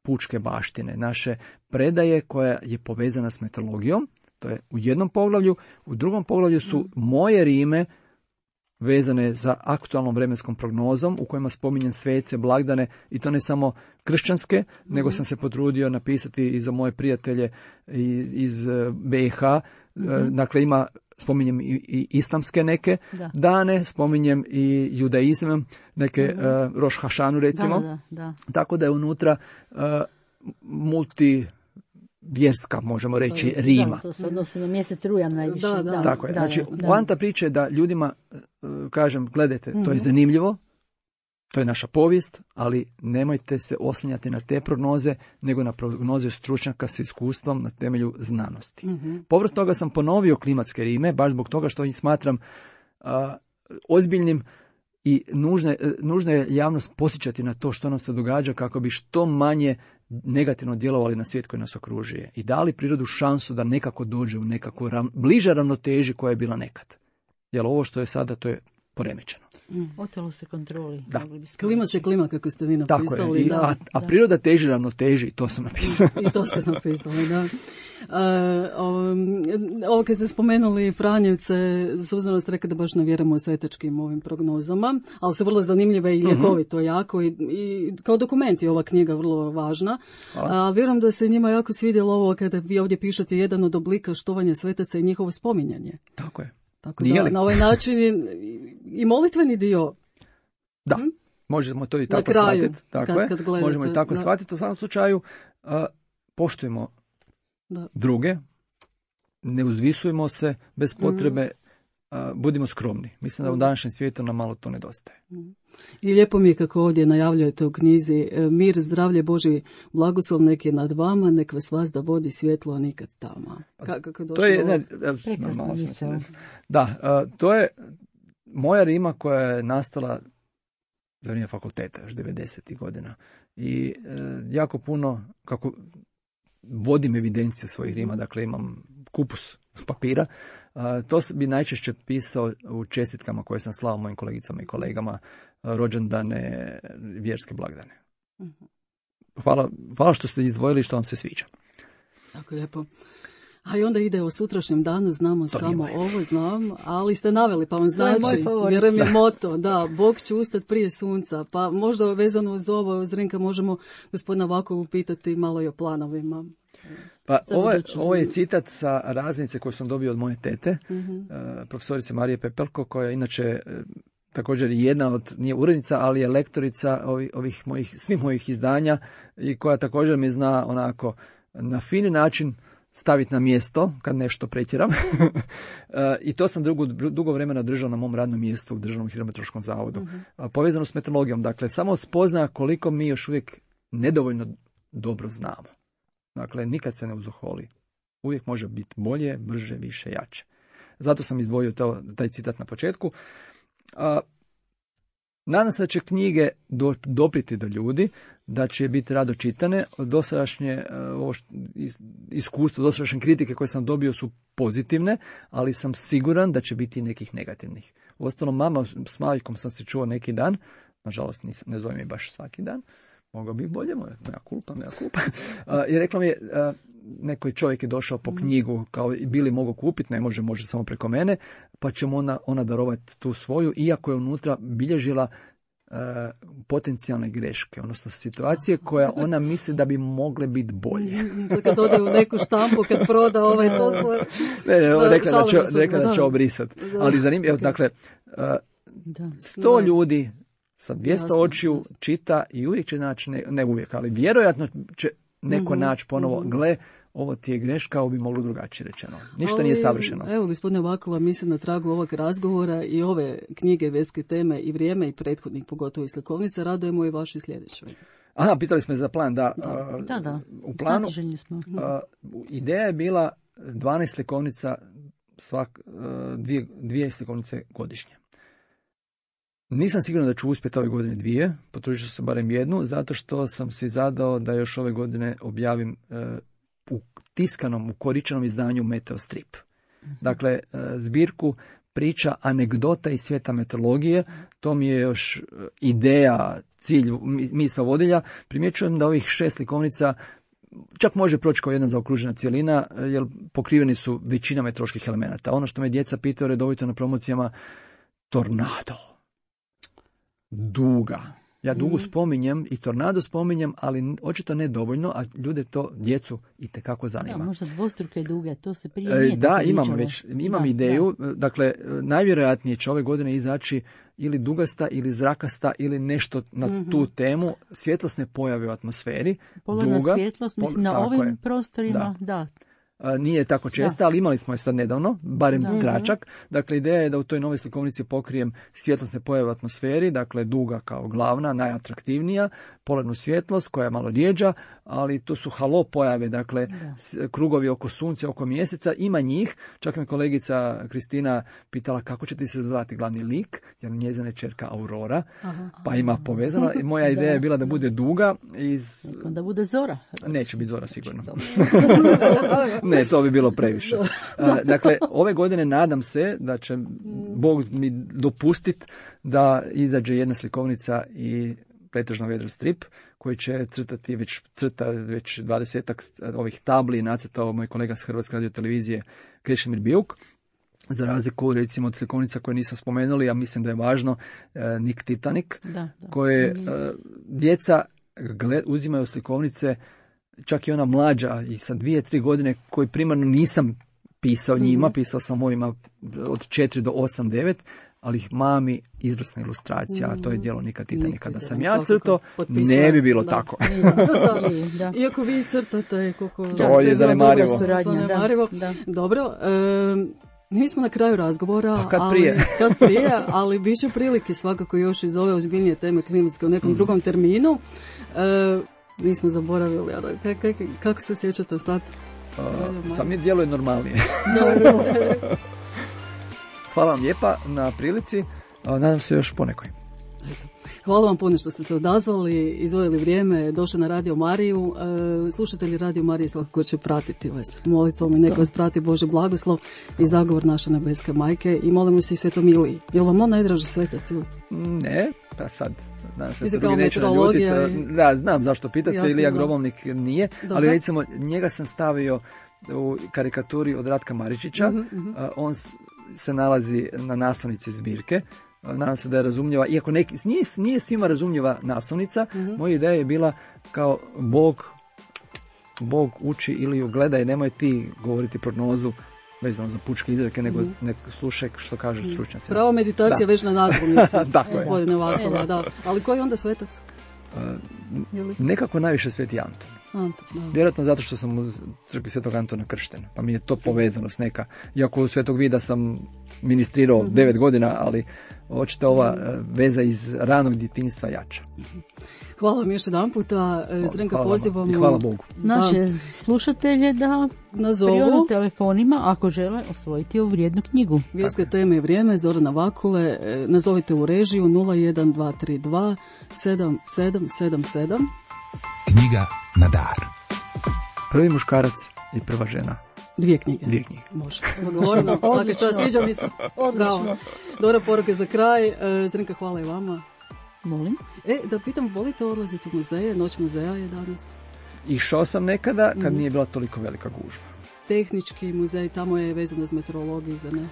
pučke baštine, naše predaje koja je povezana s meteorologijom. To je u jednom poglavlju. U drugom poglavlju su moje rime vezane za aktualnom vremenskom prognozom u kojima spominjem svece, blagdane, i to ne samo kršćanske, nego sam se potrudio napisati i za moje prijatelje iz BiH. Dakle, spominjem i islamske neke dane, spominjem i judaizam, neke Roš Hašanu recimo. Da. Tako da je unutra multivjerska, možemo reći, rima. To se odnosi na mjesec rujan najviše. Da. Tako je. Znači, poanta priče je da ljudima kažem, gledajte, to je zanimljivo, to je naša povijest, ali nemojte se oslanjati na te prognoze, nego na prognoze stručnjaka s iskustvom na temelju znanosti. Povrh toga sam ponovio klimatske rime, baš zbog toga što ih smatram ozbiljnim i nužno je javnost posjećati na to što nam se događa kako bi što manje negativno djelovali na svijet koji nas okružuje i dali prirodu šansu da nekako dođe u nekako bliže ravnoteži koja je bila nekad. Jer ovo što je sada, to je poremećeno. Otelo se kontroli. Da. Klima se klima, kako ste vi napisali. Tako je. A priroda teži ravnoteži, i to sam napisao. I to ste napisali, da. Ovo kad ste spomenuli Franjevce, Suzana ste rekli da baš ne vjerujemo u svetačkim ovim prognozama, ali su vrlo zanimljive i ljekovito jako i kao dokumenti ova knjiga vrlo važna. Ali vjerujem da se njima jako svidjelo ovo kada vi ovdje pišete jedan od oblika štovanja svetaca i njihovo spominjanje. Tako je. Tako da na ovaj način i molitveni dio. Da, možemo to i tako shvatiti. Tako je. Možemo i tako shvatiti. U svakom slučaju poštujemo druge, ne uzvisujemo se bez potrebe, budimo skromni. Mislim da u današnjem svijetu nam malo to nedostaje. I lijepo mi je kako ovdje najavljujete u knjizi: mir, zdravlje, Boži blagoslov nek je nad vama, nek vas vazda vodi svjetlo, a nikad tama. Kako to je prekrasno misao. Da, to je moja rima koja je nastala za vrijeme fakulteta, još 90. godina. I jako puno, kako vodim evidenciju svojih rima, dakle imam kupus papira, to bi najčešće pisao u čestitkama koje sam slao mojim kolegicama i kolegama, rođendane, vjerske blagdane. Hvala što ste izdvojili, što vam se sviđa. Tako lijepo. A i onda ide o sutrašnjem danu, znamo to samo ovo, znam, ali ste naveli, pa vam znači, vjerujem je moto, da, Bog će ustati prije sunca, pa možda vezano uz ovo, Zrinka, možemo gospodina Vakovu pitati malo i o planovima. Pa ovo je citat sa raznice koju sam dobio od moje tete, profesorice Marije Pepelko, koja je inače također jedna od, nije urednica, ali je lektorica svih mojih izdanja i koja također mi zna onako na fini način staviti na mjesto kad nešto pretjeram. I to sam dugo vremena držao na mom radnom mjestu u Državnom hidrometeorološkom zavodu. Povezano s meteorologijom. Dakle, samo spozna koliko mi još uvijek nedovoljno dobro znamo. Dakle, nikad se ne uzoholi. Uvijek može biti bolje, brže, više, jače. Zato sam izdvojio taj citat na početku. Nadam se da će knjige dopriti do ljudi, da će biti rado čitane. Dosadašnje iskustvo, dosadašnje kritike koje sam dobio su pozitivne, ali sam siguran da će biti i nekih negativnih. Uostalom, mama s Mavikom sam se čuo neki dan, nažalost ne zovem je baš svaki dan, mogao bih bolje, moja kulpa. I rekla mi je, neki čovjek je došao po knjigu, kao bili mogu kupiti, ne može samo preko mene, pa će mu ona darovati tu svoju, iako je unutra bilježila potencijalne greške, odnosno situacije koje ona misli da bi mogle biti bolje. Kad ode u neku štampu, kad proda to svoje... Rekla da će obrisati. Ali zanimljivo, dakle, 100 ljudi sa 200 očiju čita i uvijek će naći, ne uvijek, ali vjerojatno će neko naći ponovo, gle, ovo ti je greška, ovo bi moglo drugačije rečeno. Ništa nije savršeno. Evo, gospodine Vakula, mislim na tragu ovog razgovora i ove knjige Vjerske teme i vrijeme i prethodnih, pogotovo i slikovnica, radujemo i vašoj sljedećoj. Aha, pitali smo za plan, da. U planu ideja je bila 12 slikovnica, dvije slikovnice godišnje. Nisam siguran da ću uspjeti ove godine 2, potrudit ću se barem 1, zato što sam si zadao da još ove godine objavim u tiskanom, u koričanom izdanju Meteostrip. Dakle, zbirku priča, anegdota iz svijeta meteorologije, to mi je još ideja, cilj, misao vodilja. Primjećujem da ovih 6 slikovnica čak može proći kao jedna zaokružena cjelina, jer pokriveni su većina meteoroloških elemenata. Ono što me djeca pitaju redovito na promocijama, tornado, duga. Ja dugu spominjem i tornado spominjem, ali očito ne dovoljno, a ljude to, djecu, itekako zanima. Da, možda dvostruke duge, to se prije nije da, imam ideju. Da. Dakle, najvjerojatnije će ove godine izaći ili dugasta, ili zrakasta, ili nešto na tu temu. Svjetlosne pojave u atmosferi. Polarna svjetlost, mislim, na ovim prostorima, da. Nije tako česta, ali imali smo je sad nedavno, barem tračak. Dakle, ideja je da u toj novoj slikovnici pokrijem svjetlosne pojave u atmosferi, dakle duga kao glavna, najatraktivnija, polarnu svjetlost koja je malo rijeđa, ali to su halo pojave, dakle krugovi oko sunca, oko mjeseca, ima njih. Čak me kolegica Kristina pitala kako će ti se zvati glavni lik, jer njezina je ćerka Aurora, pa ima povezano. Moja ideja je bila da bude duga. Da bude Zora. Neće biti Zora sigurno. Ne, to bi bilo previše. Dakle, ove godine nadam se da će Bog mi dopustiti da izađe jedna slikovnica i pretežno vedro strip koji će crta već 20-ak ovih tabli i nacrtao moj kolega s Hrvatske radiotelevizije Krešimir Bijuk. Za razliku, recimo, od slikovnica koje nisam spomenuli, ja mislim da je važno Nik Titanik, koje djeca uzimaju slikovnice, čak i ona mlađa i sa 2-3 godine koji primarno nisam pisao njima, pisao sam ovima od 4 do 8-9, ali ih mami izvrsna ilustracija, a to je djelo Nika Titanika. Da sam ja crto, ne bi bilo tako. Da. Iako vi crtate, to je zanemarivo. Dobro, mi smo na kraju razgovora, a kad prije, ali bit će prilike svakako još iz ove ozbiljnije teme klimatske u nekom drugom terminu. Mi smo zaboravili, kako se sjećate sad? Sam mi djeluje normalnije. Hvala vam lijepa na prilici, nadam se još ponekoj. Hvala vam puno što ste se odazvali, izdvojili vrijeme, došli na Radio Mariju. Slušatelji Radio Marije svakako će pratiti vas molitvom i neka vas prati Bože blagoslov i zagovor naše nebeske majke i molimo se i Svetom Iliji. Je li vam on najdraži svetac? Ne, pa sad se drugi neće naljutiti. Da, znam zašto pitate, Ilija Grobovnik nije, ali recimo njega sam stavio u karikaturi od Ratka Maričića, on se nalazi na naslovnici zbirke. Nadam se da je razumljiva, iako nije svima razumljiva naslovnica. Moja ideja je bila kao Bog uči ili gledaj, nemoj ti govoriti prognozu vezano za pučke izreke, nego slušaj što kažu stručnjaci. Pravo meditacija već na naslovnici, gospodine Vakula, da. Ali koji je onda svetac? Nekako najviše Sveti Anton. Vjerojatno zato što sam u crkvi Svetog Antona kršten, pa mi je to povezano s neka. Iako u Svetog Vida sam ministrirao 9 godina, ali očito ova veza iz ranog djetinjstva jača. Hvala vam još jedan puta. Zrenka, pozivamo. I hvala Bogu. Naše slušatelje da nazovu telefonima ako žele osvojiti ovu vrijednu knjigu. Vjerske teme i vrijeme, Zorana Vakule. Nazovite u režiju 01232 7777. Knjiga na dar. Prvi muškarac i prva žena. 2 knjige. Može. Odgovorno, svaki čas, sviđa mi se. Bravo. Dobra poruka za kraj. Zrenka, hvala i vama. Volim. Da pitam, volite odlaziti u muzeje? Noć muzeja je danas. Išao sam nekada kad nije bila toliko velika gužva. Tehnički muzej, tamo je vezano s meteorologiju, za ne?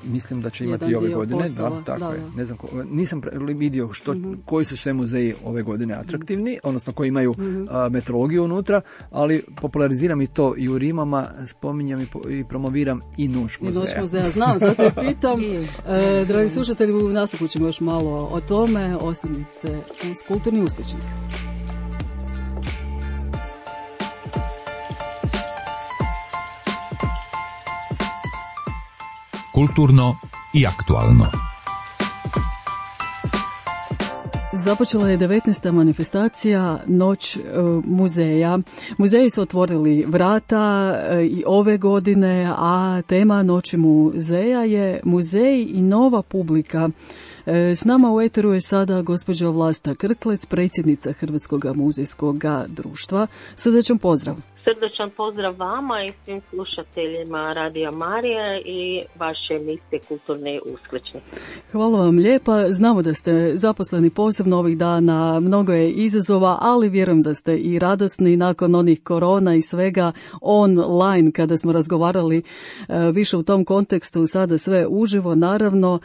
Mislim da će imati i ove godine. Postava, tako je. da. Ne znam, nisam vidio koji su sve muzeji ove godine atraktivni, odnosno koji imaju meteorologiju unutra, ali populariziram i to i u Rimama, spominjam i promoviram i Noć muzeja. I Noć muzeja, znam, zato je pitam. Dragi slušatelji, u nastavku ćemo još malo o tome. Ostanite uz Kulturni uskličnik. Kulturno i aktualno. Započela je 19. manifestacija Noć muzeja. Muzeji su otvorili vrata i ove godine, a tema Noći muzeja je muzej i nova publika. S nama u eteru je sada gospođa Vlasta Krklec, predsjednica Hrvatskog muzejskog društva. Srdačan pozdrav. Srdačan pozdrav vama i svim slušateljima Radija Marija i vaše emisije Kulturni uskličnik. Hvala vam lijepa. Znamo da ste zaposleni posebno ovih dana, mnogo je izazova, ali vjerujem da ste i radosni nakon onih korona i svega online kada smo razgovarali više u tom kontekstu, sada sve uživo naravno.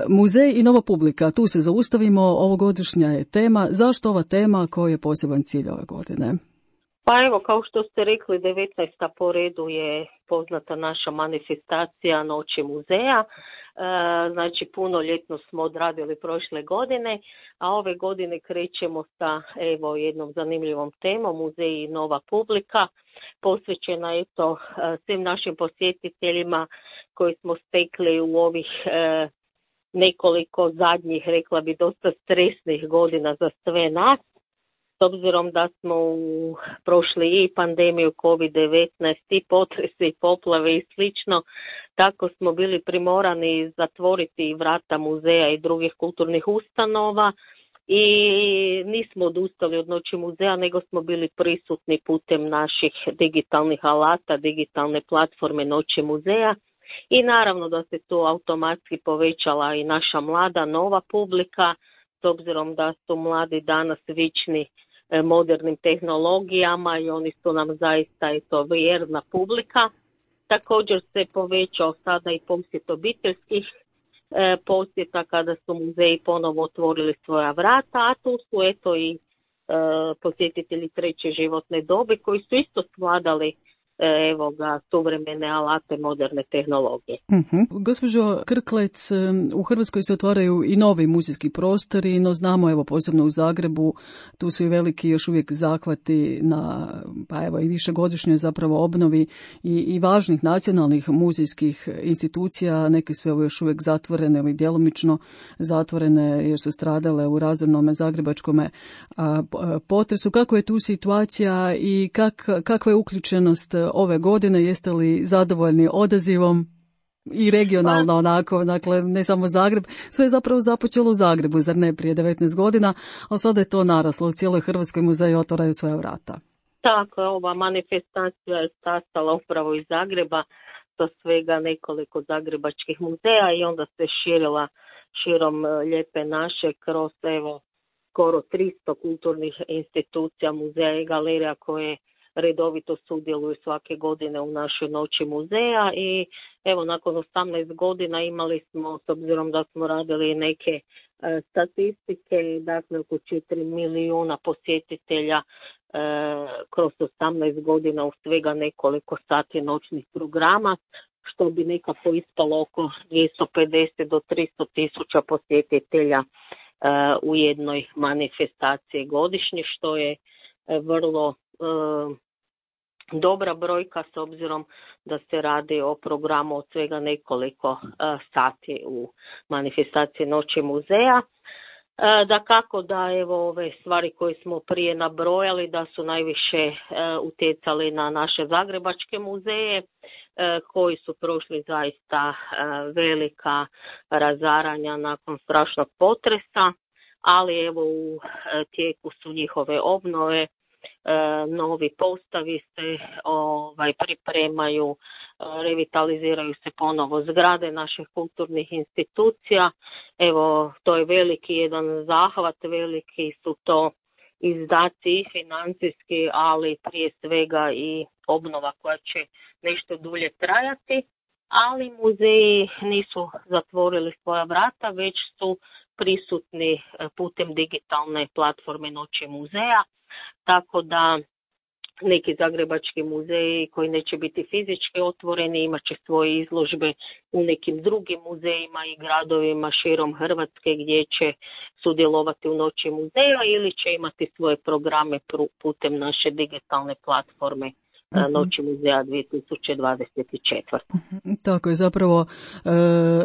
Muzej i nova publika, tu se zaustavimo, ovogodišnja je tema. Zašto ova tema, koji je poseban cilj ove godine? Pa evo, kao što ste rekli, 19. po redu je poznata naša manifestacija Noći muzeja. Znači, punoljetno smo odradili prošle godine, a ove godine krećemo sa jednom zanimljivom temom, muzej i nova publika, posvećena svim našim posjetiteljima koji smo stekli u ovih nekoliko zadnjih, rekla bi, dosta stresnih godina za sve nas. S obzirom da smo prošli i pandemiju COVID-19 i potrese i poplave i slično, tako smo bili primorani zatvoriti vrata muzeja i drugih kulturnih ustanova i nismo odustali od Noći muzeja, nego smo bili prisutni putem naših digitalnih alata, digitalne platforme Noći muzeja. I naravno da se tu automatski povećala i naša mlada nova publika, s obzirom da su mladi danas vični modernim tehnologijama i oni su nam zaista vjerna publika. Također se povećao sada i posjet obiteljskih posjeta kada su muzeji ponovo otvorili svoja vrata, a tu su i posjetitelji treće životne dobi koji su isto svladali suvremene alate moderne tehnologije. Gospođo Krklec, u Hrvatskoj se otvaraju i novi muzejski prostori, no znamo, posebno u Zagrebu, tu su i veliki još uvijek zahvati na, i višegodišnjoj zapravo obnovi i važnih nacionalnih muzejskih institucija. Neke su još uvijek zatvorene ili djelomično zatvorene jer su stradale u razornom zagrebačkom potresu. Kako je tu situacija i kakva je uključenost ove godine? Jeste li zadovoljni odazivom i regionalno onako, dakle ne samo Zagreb, sve je zapravo započelo u Zagrebu, zar ne, prije 19 godina, ali sada je to naraslo, u cijeloj Hrvatskoj muzeji otvaraju svoja vrata. Tako je, ova manifestacija je sastala upravo iz Zagreba, sa svega nekoliko zagrebačkih muzeja i onda se širila širom lijepe naše kroz skoro 300 kulturnih institucija, muzeja i galerija koje redovito sudjeluju svake godine u našoj Noći muzeja i nakon 18 godina imali smo, s obzirom da smo radili neke statistike, dakle oko 4 milijuna posjetitelja kroz 18 godina u svega nekoliko sati noćnih programa, što bi nekako ispalo oko 250 do 300 tisuća posjetitelja u jednoj manifestaciji godišnje, što je vrlo dobra brojka s obzirom da se radi o programu od svega nekoliko sati u manifestaciji Noći muzeja. Dakako da ove stvari koje smo prije nabrojali da su najviše utjecali na naše zagrebačke muzeje koji su prošli zaista velika razaranja nakon strašnog potresa, ali u tijeku su njihove obnove, novi postavi se pripremaju, revitaliziraju se ponovo zgrade naših kulturnih institucija. Evo, to je veliki jedan zahvat, veliki su to izdaci i financijski, ali prije svega i obnova koja će nešto dulje trajati. Ali muzeji nisu zatvorili svoja vrata, već su prisutni putem digitalne platforme Noći muzeja, tako da neki zagrebački muzeji koji neće biti fizički otvoreni imat će svoje izložbe u nekim drugim muzejima i gradovima širom Hrvatske gdje će sudjelovati u Noći muzeja ili će imati svoje programe putem naše digitalne platforme Noći muzeja 2024. Tako je, zapravo,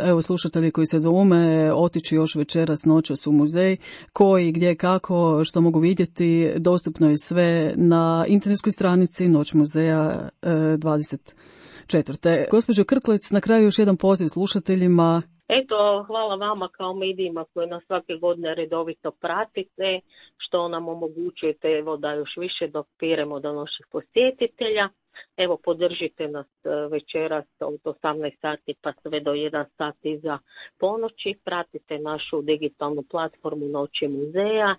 evo slušatelji koji se doume, otići još večeras noćas u muzej, koji, gdje, kako, što mogu vidjeti, dostupno je sve na internetskoj stranici Noć muzeja 24. Gospođo Krklec, na kraju još jedan poziv slušateljima. Eto, hvala vama kao medijima koji nas svake godine redovito pratite, što nam omogućujete evo, da još više dopiremo do naših posjetitelja. Evo, podržite nas večeras od 18 sati pa sve do 1 sat iza ponoći. Pratite našu digitalnu platformu Noći muzeja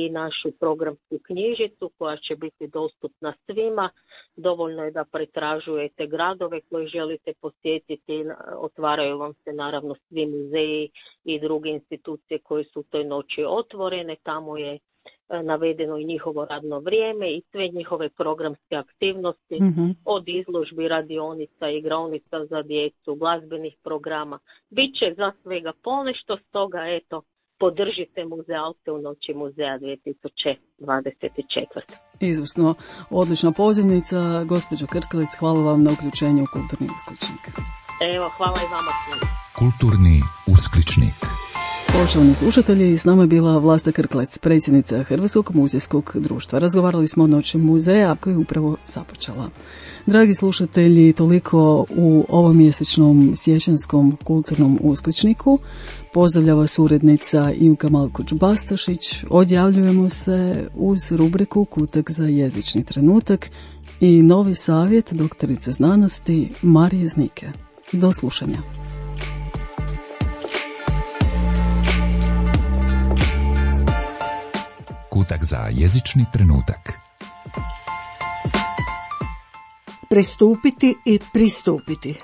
i našu programsku knjižicu koja će biti dostupna svima. Dovoljno je da pretražujete gradove koje želite posjetiti, otvaraju vam se naravno svi muzeji i druge institucije koje su u toj noći otvorene, tamo je navedeno i njihovo radno vrijeme i sve njihove programske aktivnosti, od izložbi, radionica, igraonica za djecu, glazbenih programa. Biće za svega ponešto, stoga eto, podržite muzealce u Noći muzeja 2024. Izvrsno, odlična pozivnica. Gospođo Krklec, hvala vam na uključenju u Kulturni uskličnik. Evo, hvala i vama svima. Kulturni uskličnik. Poštovani slušatelji, s nama je bila Vlasta Krklec, predsjednica Hrvatskog muzejskog društva. Razgovarali smo o Noći muzeja koja je upravo započela. Dragi slušatelji, toliko u ovom mjesečnom siječanskom kulturnom uskličniku. Pozdravlja vas urednica Ivka Malkoč-Bastašić. Odjavljujemo se uz rubriku Kutak za jezični trenutak i novi savjet doktorice znanosti Marije Znike. Do slušanja. Kutak za jezični trenutak. Prestupiti i pristupiti.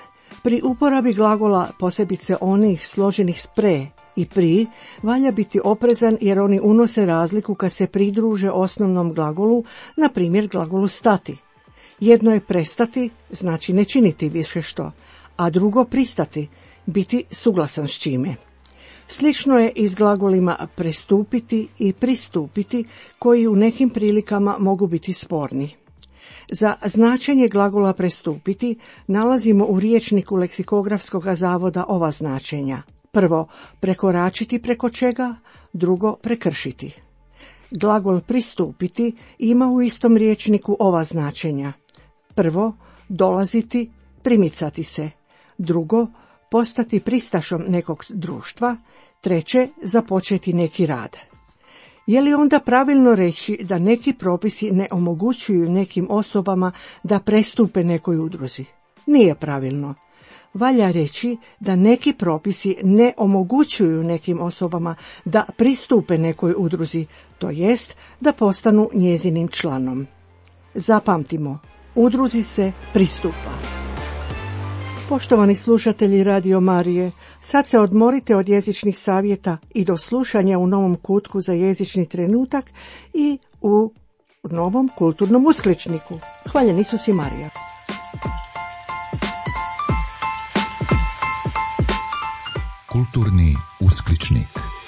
Pri uporabi glagola, posebice onih složenih s pre i pri, valja biti oprezan jer oni unose razliku kad se pridruže osnovnom glagolu, na primjer glagolu stati. Jedno je prestati, znači ne činiti više što, a drugo pristati, biti suglasan s čime. Slično je i s glagolima prestupiti i pristupiti, koji u nekim prilikama mogu biti sporni. Za značenje glagola prestupiti nalazimo u riječniku Leksikografskog zavoda ova značenja. Prvo, prekoračiti preko čega, drugo, prekršiti. Glagol pristupiti ima u istom riječniku ova značenja. Prvo, dolaziti, primicati se. Drugo, postati pristašom nekog društva. Treće, započeti neki rad. Je li onda pravilno reći da neki propisi ne omogućuju nekim osobama da prestupe nekoj udruzi? Nije pravilno. Valja reći da neki propisi ne omogućuju nekim osobama da pristupe nekoj udruzi, to jest da postanu njezinim članom. Zapamtimo, udruzi se pristupa. Poštovani slušatelji Radio Marije, sad se odmorite od jezičnih savjeta i do slušanja u novom kutku za jezični trenutak i u novom kulturnom uskličniku. Hvaljen Isus i Marija. Kulturni uskličnik.